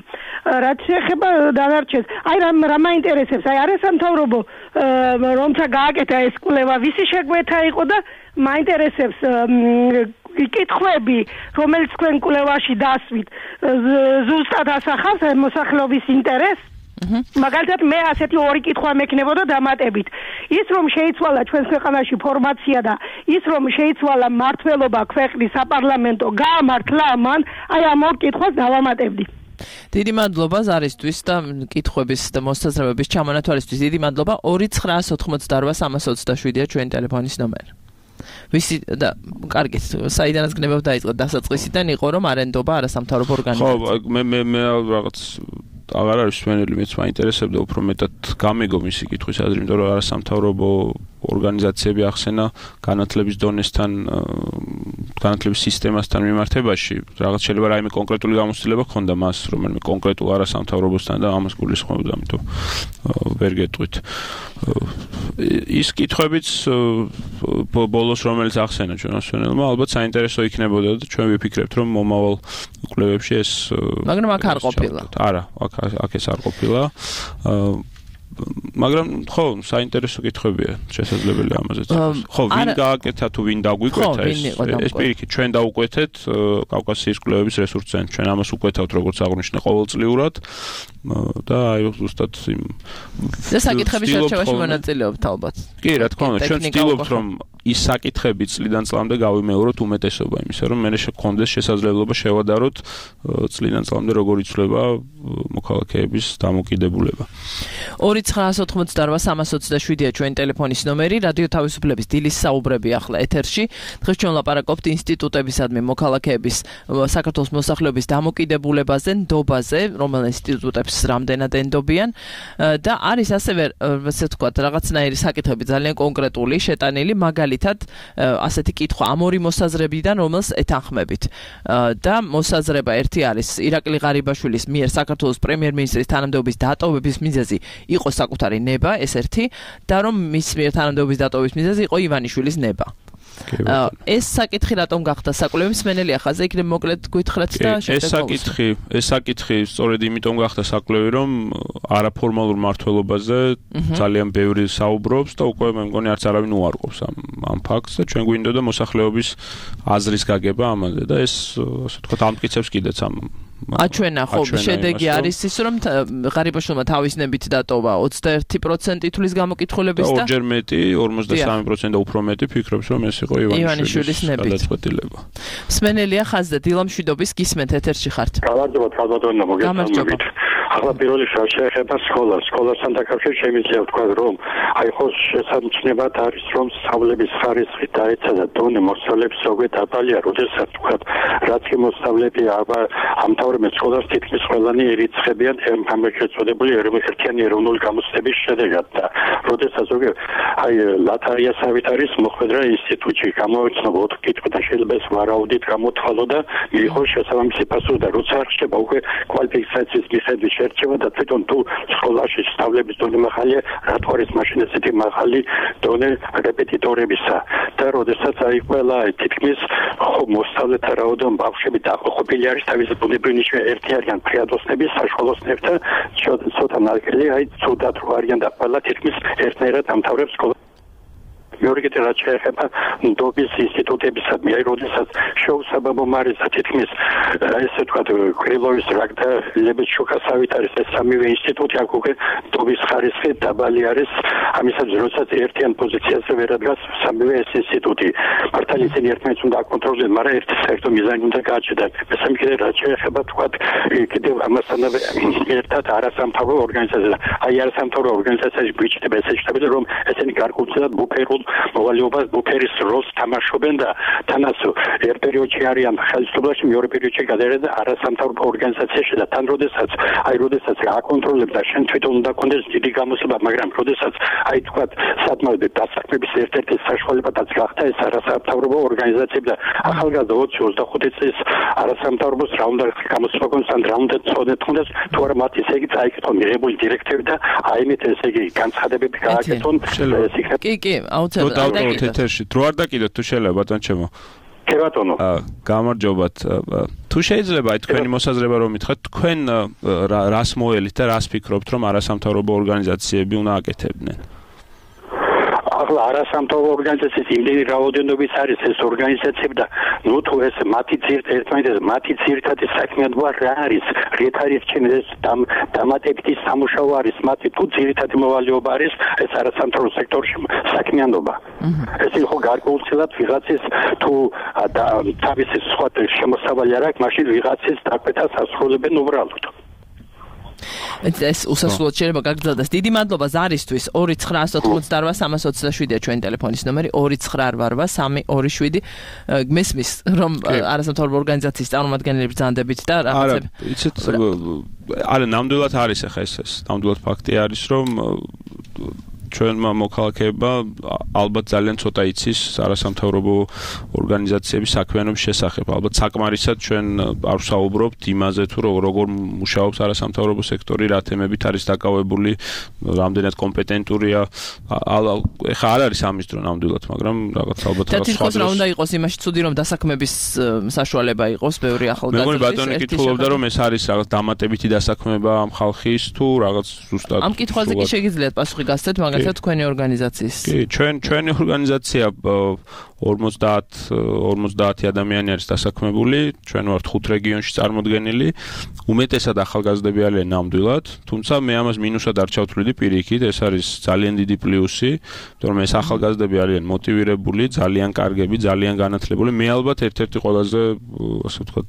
რაც შეეხება დანარჩენს, აი რა მაინტერესებს, აი არასამთავრობო რომცა გააკეთა ეს კვლევა, ვისი შეგვეთა იყო და მაინტერესებს კითხვები, რომელიც თქვენ კვლევაში დასვით, ზუსტად ასახავს მოსახლეობის ინტერესს. მაგალითად მე ასეთი ორი კითხვა მექნებოდა დამატებით. ის რომ შეიცვალა ჩვენს ქვეყანაში ფორმაცია და ის რომ შეიცვალა მმართველობა ქვეყნის საპარლამენტო გაამართლა მან, აი ამ ორ კითხვას დავამატებდი. დიდი მადლობა ზარისთვის და კითხვების და მოსაზრებების ჩამონათვალისთვის. დიდი მადლობა. 2988327-ია ჩვენი ტელეფონის ნომერი. ვისი და კარგით, საიდანაც გნებავ დაიწყეთ დასაწყისიდან იყო რომ არენდობა არასამთავრობო ორგანიზაცია. ხო, მე რაღაც აღარ არის სვენელი, მეც მაინტერესებდა უფრო მეტად გამიგო მისი კითხვის აზრი, იმიტომ რომ არასამთავრობო ორგანიზაციები ახსენა განათლების დონესთან, განათლების სისტემასთან მიმართებაში, რაღაც შეიძლება რაიმე კონკრეტული გამოცდილება ჰქონდა მას, რომელიმე კონკრეტულ არასამთავრობოსთან და ამას გულისხმობდა, ამიტომ ვერ გეტყვით. ის კითხვებიც ბოლოს რომელიც ახსენა ჩვენს სვენელმა, ალბათ საინტერესო იქნებოდა და ჩვენ ვიფიქრებთ, რომ მომავალ კვლევებში ეს მაგრამ აქ არ ყოფილა. არა, აქ ეს არ ყოფილა. მაგრამ ხო, საინტერესო კითხვებია შესაძლებელი ამაზეც. ხო, ვინ გააკეთა თუ ვინ დაგვიკვეთა ეს პირიქით ჩვენ დაუკვეთეთ კავკასიის კვლევების რესურს ცენტრს. ჩვენ ამას უკვეთავთ როგორც აღნიშნე ყოველწლიურად და აი ზუსტად იმ და საკითხების შერჩევაში მონაწილეობთ ალბათ. კი, რა თქმა უნდა, ჩვენ ვცდილობთ რომ ის საკითხები წლიდან წლამდე გავიმეოროთ უმეტესობა იმისა, რომ მე შექონდეს შესაძლებლობა შევადაროთ წლიდან წლამდე როგორ იცვლება მოქალაქეების დამოკიდებულება. 2988327-ია ჩვენი ტელეფონის ნომერი. რადიო თავისუფლების დილის საუბრები ახლა ეთერში. დღეს ჩვენ ლაპარაკობთ ინსტიტუტებისადმი მოქალაქეების საქართველოს მოსახლეობის დამოკიდებულებაზე, ნდობაზე, რომელ ინსტიტუტებს რამდენად ენდობიან და არის ასევე ასე ვთქვათ რაღაცნაირი საკითხები ძალიან კონკრეტული, შეტანილი, მაგალითად ასეთი კითხვა ამ ორი მოსაზრებიდან, რომელს ეთანხმებით. და მოსაზრება ერთი არის ირაკლი ღარიბაშვილის მიერ საქართველოს პრემიერ-მინისტრის თანამდებობის დატოვების მიზეზი იყო საკუთარი ნება, ეს ერთი, და რომ მის მიერ თანამდებობის დატოვების მიზეზი იყო ივანიშვილის ნება. ეს საკითხი რატომ გახდა საკვლევი მსმენელი ახაზე იქნებ მოკლედ გითხრათ და ეს საკითხი სწორედ იმიტომ გახდა საკვლევი, რომ არაფორმალურ მმართველობაზე ძალიან ბევრი საუბრობს და უკვე მე მგონი არც არავინ უარყოფს ამ ფაქტს და ჩვენ გვინდოდა მოსახლეობის აზრის გაგება ამაზე და ეს ასე ვთქვათ ამტკიცებს კიდეც ამ აჩვენა ხო შედეგი არის ის რომ ღარიბაშვილმა თავის ნებით დატოვა 21% თulis გამოკითხულების და ორჯერ მეტი 53% და უფრო მეტი ფიქრობს რომ ეს იყო ივანიშვილის გადაწყვეტილება. მსმენელია ხაზზე დილამშვიდობის გისმენთ ეთერში ხართ. გამარჯობა ხალბატონო მოგესალმებით. ახლა პირველი შეეხება სკოლასთან დაკავშირებით შემიძლია ვთქვა რომ აი ხო შესაძლებლად არის რომ სწავლების ხარისხი დაეცა და დონე მოსწავლეებს ზოგადად დაბალია, როდესაც ვთქვა რაც კი მოსწავლეები ამთავრებენ სკოლას თითქმის ყველანი ერიცხებიან ამ შეწოდებული ერთიანი ეროვნული გამოცდების შედეგად და როდესაც ზოგადად აი ლათარიასავით არის მოხვედრა ინსტიტუტში გამოიცნობა 4 კითხვი და შეიძლება ეს ვარაუდით გამოთვალო და მიიღო შესაბამისი პასუხი და როცა ხდება უკვე კვალიფიკაციის მიხედვით შერჩევა და თვითონ თუ სკოლაში სწავლების დონე მაღალია, რატო არის მაშინ ესეთი მაღალი დონე რეპეტიტორებისა და როდესაც აი ყველა თითქმის მოსწავლეთა რაოდენობა ბავშვები დაახლოებული არის თავის ბუნებრივი ნიშნები ერთი არიან ფრიადოსნების საშუალოსნებთან ცოტა ნაკელი აი ცუდად რო არიან და ყველა თითქმის ერთნაირად ამთავრებს სკოლას. მეორე კიდე რაც შეეხება ნდობის ინსტიტუტებისადმი, აი როდესაც შეუსაბამო მარისა თითქმის ესე ვთქვათ კრილოვის რაკ და ლებეჩუკასავით არის ეს სამივე ინსტიტუტი აქ უკვე ნდობის ხარისხი დაბალი არის ამისაც როდესაც ერთიან პოზიციაზე ვერ ადგას სამივე ეს ინსტიტუტი მართალი ისინი ერთმანეთს უნდა აკონტროლდნენ, მაგრამ ერთი საერთო მიზანი უნდა გააჩნდეთ. მესამე კიდე რაც შეეხება ვთქვათ კიდევ ამასთანავე ერთად არასამთავრობო ორგანიზაცია, აი არასამთავრობო ორგანიზაციაში გვიჩნდება ესე შეტაბილი რომ ესენი გარკვეულწილად ბუფერულ მოვალეობას ბუფერის როლს თამაშობენ და თანაც ერთ პერიოდში არიან ხელისუფლებაში, მეორე პერიოდში გადაერენ არასამთავრობო ორგანიზაციაში და თან როდესაც აკონტროლებს და შენ თვითონ უნდა კონდეს დიდი გამოსება, მაგრამ როდესაც თქვათ სადმავდე დასაქმების ერთ-ერთი საშუალებაც გახდა ეს არასამთავრობო ორგანიზაციები და ახალგაზრდა 20-25 წლის არასამთავრობოს რა უნდა გამოსება კონდეს ან რა უნდა წოდეთქონდეს თუ არა მათ ესე იგი წაიკითხონ მიღებული დირექტივები და აიმეთ ესე იგი განცხადებები გააკეთონ კი აუცილებლად ეთერში დრო არ დაკიდოთ თუ შეიძლება ბატონ ჩემო კი ბატონო გამარჯობათ თუ შეიძლება თქვენი მოსაზრება რომ მითხრათ თქვენ რას მოელით და რას ფიქრობთ რომ არასამთავრობო ორგანიზაციები უნდა აკეთებდნენ ახლა არასამთავრობო ორგანიზაციის იმდენი რაოდენობის არის ეს ორგანიზაციები და ნუ თუ ეს მათი ძირითადი საქმიანობა რა არის რით არის ჩემი ეს დამატებითი სამუშაო არის მათი თუ ძირითადი მოვალეობა არის ეს არასამთავრობო სექტორში საქმიანობა ეს იყო გარკვეულწილად ვიღაცის თუ თავისი სხვა შემოსავალი არ აქვს მაშინ ვიღაცის დაკვეთას ასრულებენ უბრალოდ ეს უსასრულოდ შეიძლება გაგრძელდეს. დიდი მადლობა ზარისთვის 2988327-ია ჩვენი ტელეფონის ნომერი 2988327 მესმის რომ არასამთავრობო ორგანიზაციის წარმომადგენლები ბრძანდებით და რაღაცები. არა, ნამდვილად არის ახლა ეს ნამდვილად ფაქტი არის რომ ჩვენმა მოქალაქეებმა ალბათ ძალიან ცოტა იცის არასამთავრობო ორგანიზაციების საქმიანობის შესახებ. ალბათ საკმარისად ჩვენ არ ვსაუბრობთ იმაზე თუ როგორ მუშაობს არასამთავრობო სექტორი, რა თემებით არის დაკავებული, რამდენად კომპეტენტურია. ეხლა არ არის ამის დრო ნამდვილად, მაგრამ რაღაც ალბათ და თვითონ რა უნდა იყოს იმაში ცუდი რომ დასაქმების საშუალება იყოს ბევრი ახალგაზრდა. მეგონი ბატონი კითხულობდა რომ ეს არის რაღაც დამატებითი დასაქმება ამ ხალხის თუ რაღაც ზუსტად. ამ კითხვაზე კი შეგიძლიათ პასუხი გასცეთ, მაგრამ თქვენი ორგანიზაციის. კი, ჩვენი ორგანიზაცია 50 ადამიანი არის დასაქმებული, ჩვენ ვართ 5 რეგიონში წარმოდგენილი. უმეტესად ახალგაზრდები არიან ნამდვილად, თუმცა მე ამას მინუსად არ ჩავთვლიდი პირიქით, ეს არის ძალიან დიდი პლუსი, იმიტომ რომ ეს ახალგაზრდები არიან მოტივირებული, ძალიან კარგები, ძალიან განათლებული. მე ალბათ ერთ-ერთი ყველაზე, ასე ვთქვათ,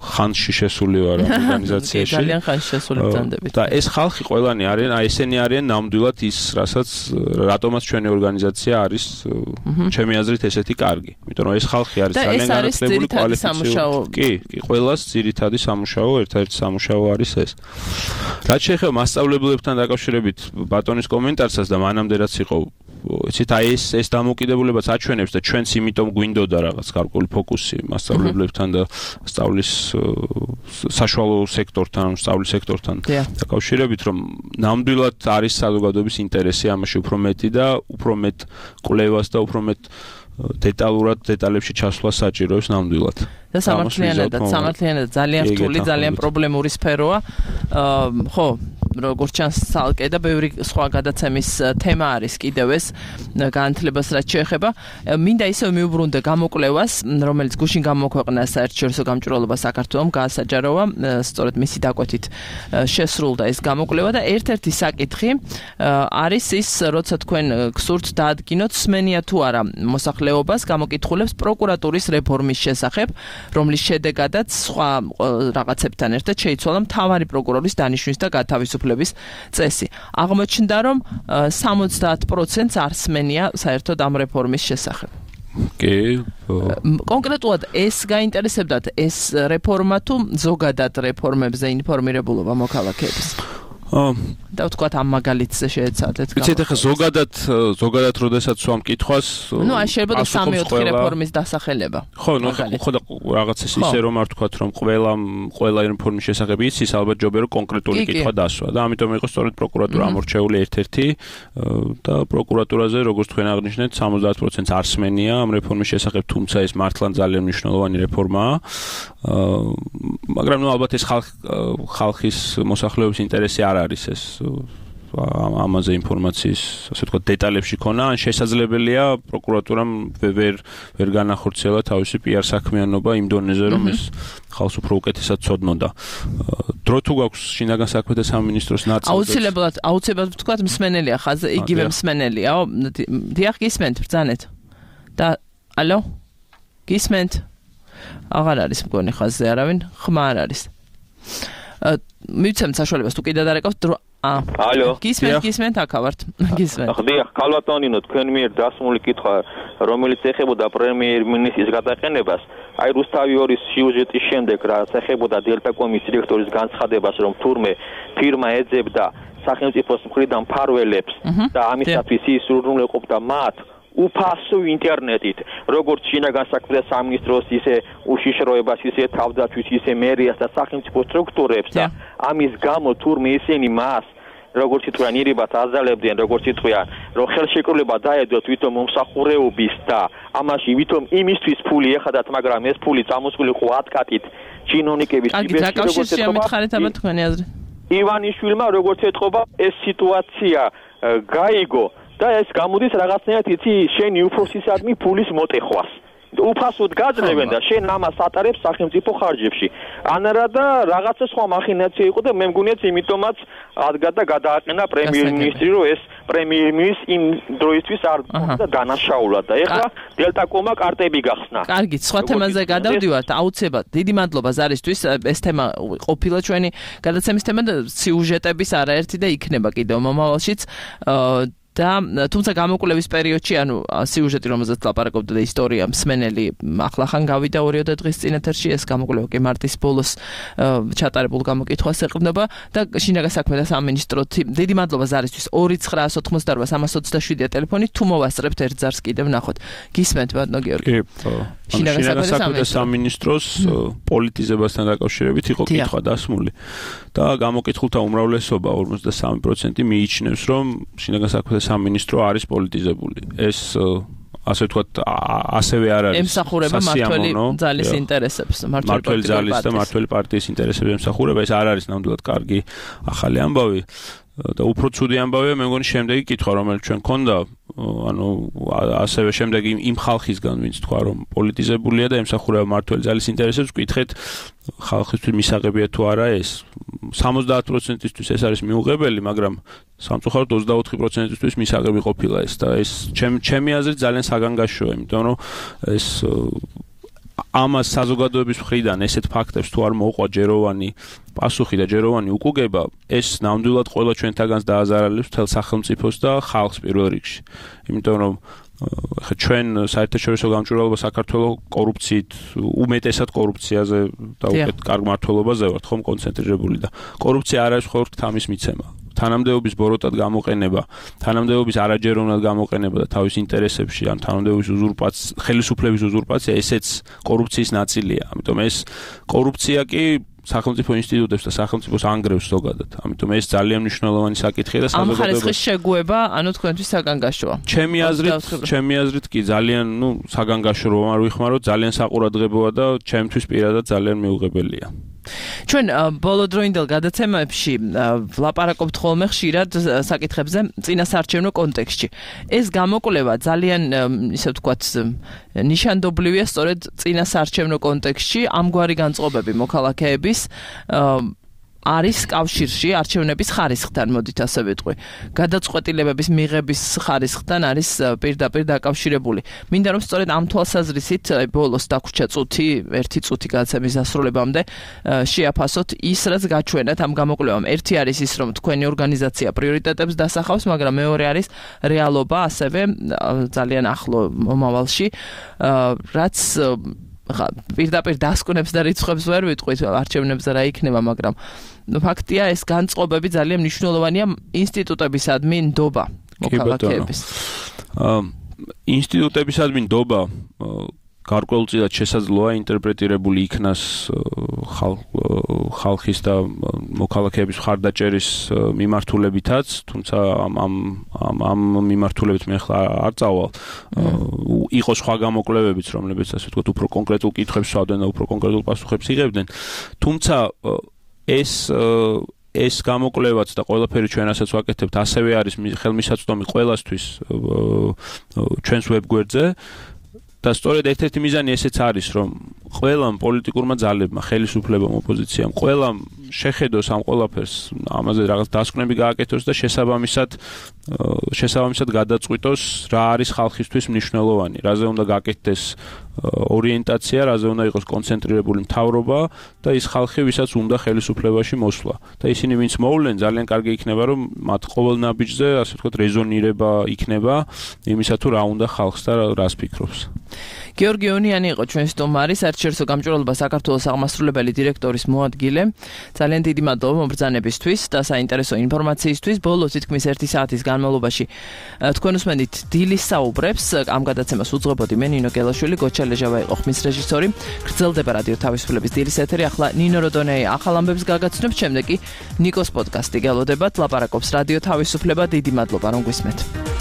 ხანში შესული ვარ ორგანიზაციაში. ძალიან ხანში შესული ბრძანდებით. და ეს ხალხი ყველანი არიან, ესენი არიან ნამდვილად ის, რატომაც ჩვენი ორგანიზაცია არის, ჩემი აზრით ესეთი კარგი. იმიტომ რომ ეს ხალხი არის ძალიან განათლებული, კვალიფიცირებული. კი, ყველას ძირითადი სამუშაო, ერთ-ერთი სამუშაო არის ეს. რაც შეეხება მასწავლებლებთან დაკავშირებით ბატონის კომენტარსაც და მანამდე რაც იყო იცით აი ეს დამოკიდებულებაც აჩვენებს და ჩვენც იმიტომ გვინდოდა რაღაც გარკვეული ფოკუსი მასწავლებლებთან და სწავლის საშუალო სექტორთან, სწავლის სექტორთან დაკავშირებით, რომ ნამდვილად არის საზოგადოების ინტერესი ამაში უფრო მეტი და უფრო მეტ კვლევას და უფრო მეტ დეტალებში ჩასვლა საჭიროებს ნამდვილად. და სამართლიანად ძალიან რთული, ძალიან პრობლემური სფეროა. ხო, როგორც ჩანს სალკე და ბევრი სხვა გადაცემის თემა არის კიდევ ეს განათლებას რაც შეეხება. მინდა ისევ მიუბრუნდე გამოკვლევას, რომელიც გუშინ გამოქვეყნა საერთაშორისო გამჭვირვალობა საქართველოს გაასაჯაროვა, სწორედ მისი დაკვეთით შესრულდა ეს გამოკვლევა და ერთ-ერთი საკითხი არის ის, როცა თქვენ გსურთ დაადგინოთ სმენია თუ არა მოსახლეობას გამოკითხულებს პროკურატურის რეფორმის შესახებ, რომლის შედეგადაც სხვა რაღაცებთან ერთად შეიცვალა მთავარი პროკურორის დანიშვნის და გათავისუფლების წესი. აღმოჩნდა, რომ 70%-ს არ სმენია საერთოდ ამ რეფორმის შესახებ. კი. კონკრეტულად ეს გაინტერესებდათ ეს რეფორმა თუ ზოგადად რეფორმებზე ინფორმირებულობა მოქალაქეების? და ვთქვათ ამ მაგალითზე შეეცადეთ. ვიცით ახლა ზოგადად როდესაც სვამ კითხვას ნუ აი შეიძლება 3-4 რეფორმის დასახელება. ხო რაღაც ისე რომ არ ვთქვათ რომ ყველა რეფორმის შესახებ იცის, ალბათ ჯობია რომ კონკრეტული კითხვა დასვა და ამიტომ იყო სწორედ პროკურატურა ამორჩეული ერთ-ერთი და პროკურატურაზე როგორც თქვენ აღნიშნეთ 70%-ს არ სმენია ამ რეფორმის შესახებ, თუმცა ეს მართლა ძალიან მნიშვნელოვანი რეფორმაა. მაგრამ ნუ ალბათ ეს ხალხის მოსახლეობის ინტერესი არ არის ეს ამაზე ინფორმაციის, ასე ვთქვათ, დეტალებში ქონა, ან შესაძლებელია პროკურატურამ ვერ განახორციელა თავისი PR საქმიანობა იმ დონეზე, რომ ეს ხალხს უფრო უკეთესად ცოდნოდა. დრო თუ გაქვს შინაგან საქმეთა სამინისტროს ნაწილზე? აუცილებლად ვთქვათ, მსმენელია ხაზი, იგივე მსმენელიაო. დიახ, გისმენთ, ბრძანეთ. და ალო? გისმენთ? აღარ არის მგონი ხაზზე არავინ, ხმა არ არის. მივცემთ საშუალებას თუ კიდე დარეკავთ ალო. გისმენთ აქავართ. გისმენთ. ხდია, ქალბატონინო, თქვენ მიერ დასმული კითხვა, რომელიც ეხებოდა პრემიერ-მინისტრის გადაყენებას, აი რუსთავი 2-ის სიუჟეტის შემდეგ, რაც ეხებოდა დელტაკომის დირექტორის განცხადებას, რომ თურმე ფირმა ეძებდა სახელმწიფოს მხრიდან მფარველებს და ამისათვის ის უზრუნველყოფდა მათ უფასო ინტერნეტით, როგორც შინაგან საქმეთა სამინისტროს, ისე უშიშროებას, ისე თავდაცვის, ისე მერიას და სახელმწიფო სტრუქტურებს და ამის გამო თურმე ისინი მას როგორც ითქვიან, ირიბად აზალებდნენ, როგორც ითქვიან, რომ ხელშეკრულება დაედოთ ვითომ მომსახურეობის და ამაში ვითომ იმისთვის ფული ეხადათ, მაგრამ ეს ფული წამოსული ყო ატკატით ჩინონიკების ივანიშვილმა როგორც ეთყობა ეს სიტუაცია გაიგო და ეს გამოდის რაღაცნაირად იცი შენი უფროსისადმი ფულის მოტეხვას უფასოდ გაძლევენ და შენ ამას ატარებს სახელმწიფო ხარჯებში. ანარა და რაღაცა სხვა მახინაცია იყო და მე მგონიაც იმიტომაც ადგა და გადააყენა პრემიერ-მინისტრი, რომ ეს პრემიერ-მინისტრი იმ დროისთვის არ და დანაშაულად და ეხლა დელტაკომა კარტები გახსნა. კარგი, სხვა თემაზე გადავდივართ. აუცილებლად. დიდი მადლობა ზარისთვის. ეს თემა ყოფილა ჩვენი გადაცემის თემა და სიუჟეტების არაერთი და იქნება კიდევ მომავალშიც. და თუმცა გამოკვლევის პერიოდში, ანუ სიუჟეტი, რომელზეც ლაპარაკობდა და ისტორია მსმენელი ახლახან გავიდა 2 დღის წინ ეთერში, ეს გამოკვლევა კი მარტის ბოლოს ჩატარებულ გამოკითხვას ეყრდნობა და შინაგან საქმეთა სამინისტროთ დიდი მადლობა ზარისთვის 2988-327 ტელეფონი თუ მოვასწრებთ ერთ ზარს კიდევ ნახოთ. გისმენთ ბატონო გიორგი. შინაგან საქმეთა სამინისტროს პოლიტიზებასთან დაკავშირებით იყო კითხვა დასმული და გამოკითხულთა უმრავლესობა 53% მიიჩნევს, რომ შინაგან საქმეთა სამინისტრო არის პოლიტიზებული. ეს ასე ვთქვათ, ასევე არ არის ემსახურება მართველი ძალის ინტერესებს, მართველი ძალის და მართველი პარტიის ინტერესებს ემსახურება. ეს არ არის ნამდვილად კარგი ახალი ამბავი და უფრო ცუდი ამბავია მე მგონი შემდეგი კითხვა, რომელიც ჩვენ გქონდა, ანუ ასევე შემდეგ იმ ხალხისგან, ვინც თქვა, რომ პოლიტიზებულია და ემსახურება მართველი ძალის ინტერესებს, ვკითხეთ ხალხისთვის მისაღებია თუ არა ეს. 70%-ისთვის ეს არის მიუღებელი, მაგრამ სამწუხაროდ 24%-ისთვის მისაღები ყოფილა ეს და ეს ჩემი აზრით ძალიან საგანგაშოა, იმიტომ რომ ეს ამას საზოგადოების მხრიდან ესეთ ფაქტებს თუ არ მოუყვა ჯეროვანი პასუხი და ჯეროვანი უკუგება, ეს ნამდვილად ყველა ჩვენთაგანს დააზარალებს მთელ სახელმწიფოს და ხალხს პირველ რიგში. იმიტომ რომ ხა ჩვენ საერთაშორისო გამჭვირვალობა საქართველოს კორუფციით, უმეტესად კორუფციაზე და უკეთ კარგ მმართველობაზე ვართ ხომ კონცენტრირებული და კორუფცია არ არის მხოლოდ თამის მიცემა. თანამდებობის ბოროტად გამოყენება, თანამდებობის არაჯეროვნად გამოყენება და თავის ინტერესებში, ან თანამდებობის უზურპაცია, ხელისუფლების უზურპაცია, ესეც კორუფციის ნაწილია. ამიტომ ეს კორუფცია კი სახელმწიფო ინსტიტუტებს და სახელმწიფოს ანგრევს ზოგადად. ამიტომ ეს ძალიან მნიშვნელოვანი საკითხია და საზოგადოებას ამ ხარისხის შეგუება, ანუ თქვენთვის საგანგაშოა. ჩემი აზრით კი ძალიან, საგანგაშო რომ არ ვიხმაროთ, ძალიან საყურადღებოა და ჩემთვის პირადად ძალიან მიუღებელია. ჩვენ ბოლოდროინდელ გადაცემებში ვლაპარაკობთ ხოლმე ხშირად საკითხებზე წინასაარჩევნო კონტექსტში. ეს გამოკვლევა ძალიან, ისე ვთქვათ, ნიშანდობლივია სწორედ წინასაარჩევნო კონტექსტში ამგვარი განწყობები მოქალაქეების არის კავშირში არჩევნების ხარისხთან, მოდით ასე ვიტყვი. გადაწყვეტილებების მიღების ხარისხთან არის პირდაპირ დაკავშირებული. მინდა რომ სწორედ ამ თვალსაზრისით ბოლოს დაგვრჩა წუთი, 1 წუთი გადაცემის დასრულებამდე შეაფასოთ ის, რაც გაჩვენათ ამ გამოკვლევამ. ერთი არის ის, რომ თქვენი ორგანიზაცია პრიორიტეტებს დასახავს, მაგრამ მეორე არის რეალობა ასევე ძალიან ახლო მომავალში, რაც პირდაპირ დასკვნებს და რიცხვებს ვერ ვიტყვით არჩევნებზე რა იქნება, მაგრამ ფაქტია ეს განწყობები ძალიან მნიშვნელოვანია ინსტიტუტებისადმი ნდობა მოქალაქეების. ინსტიტუტებისადმი ნდობა გარკვეულწილად შესაძლოა ინტერპრეტირებული იქნას ხალხის და მოქალაქეების მხარდაჭერის მიმართულებითაც, თუმცა ამ მიმართულებით მე ახლა არ წავალ. იყო სხვა გამოკვლევებიც, რომლებიც ასე ვთქვათ, უფრო კონკრეტულ კითხვებს სვავდნენ და უფრო კონკრეტულ პასუხებს იღებდნენ. თუმცა ეს გამოკვლევაც და ყველაფერი ჩვენ ასაც ვაკეთებთ, ასევე არის ხელმისაწვდომი ყველასთვის ჩვენს ვებგვერდზე. და სწორედ ერთ-ერთი მიზანი ესეც არის, რომ ყველამ პოლიტიკურმა ძალებმა, ხელისუფლებამ, ოპოზიციამ, ყველამ შეხედოს ამ ყველაფერს, ამაზე რაღაც დასკვნები გააკეთოს და შესაბამისად გადაწყვიტოს რა არის ხალხისთვის მნიშვნელოვანი, რაზე უნდა გაკეთდეს ორიენტაცია, რაზე უნდა იყოს კონცენტრირებული მთავრობა და ის ხალხი, ვისაც უნდა ხელისუფლებაში მოსვლა. და ისინი ვინც მოვლენ, ძალიან კარგი იქნება, რომ მათ ყოველ ნაბიჯზე, ასე ვთქვათ, რეზონირება იქნება იმისა თუ რა უნდა ხალხს და რას ფიქრობს. გიორგი ონიანი იყო ჩვენ სტუმარი, საერთაშორისო გამჭვირვალობა საქართველოს აღმასრულებელი დირექტორის მოადგილე. ძალიან დიდი მადლობა მომბრძანებისთვის და საინტერესო ინფორმაციისთვის. ბოლო თითქმის 1 საათის განმავლობაში თქვენ უსმენთ დილის საუბრებს. ამ გადაცემას უძღვებოდი მე ნინო გელაშვილი, გოჩა ლეჟავა იყო ხმის რეჟისორი. გრძელდება რადიო თავისუფლების დილის ეთერი. ახლა ნინო როდონეი ახალ ამბებს გაგაცნობს, შემდეგ კი ნიკოს პოდკასტი გელოდებათ. ლაპარაკობს რადიო თავისუფლება. დიდი მადლობა რომ გვისმენთ.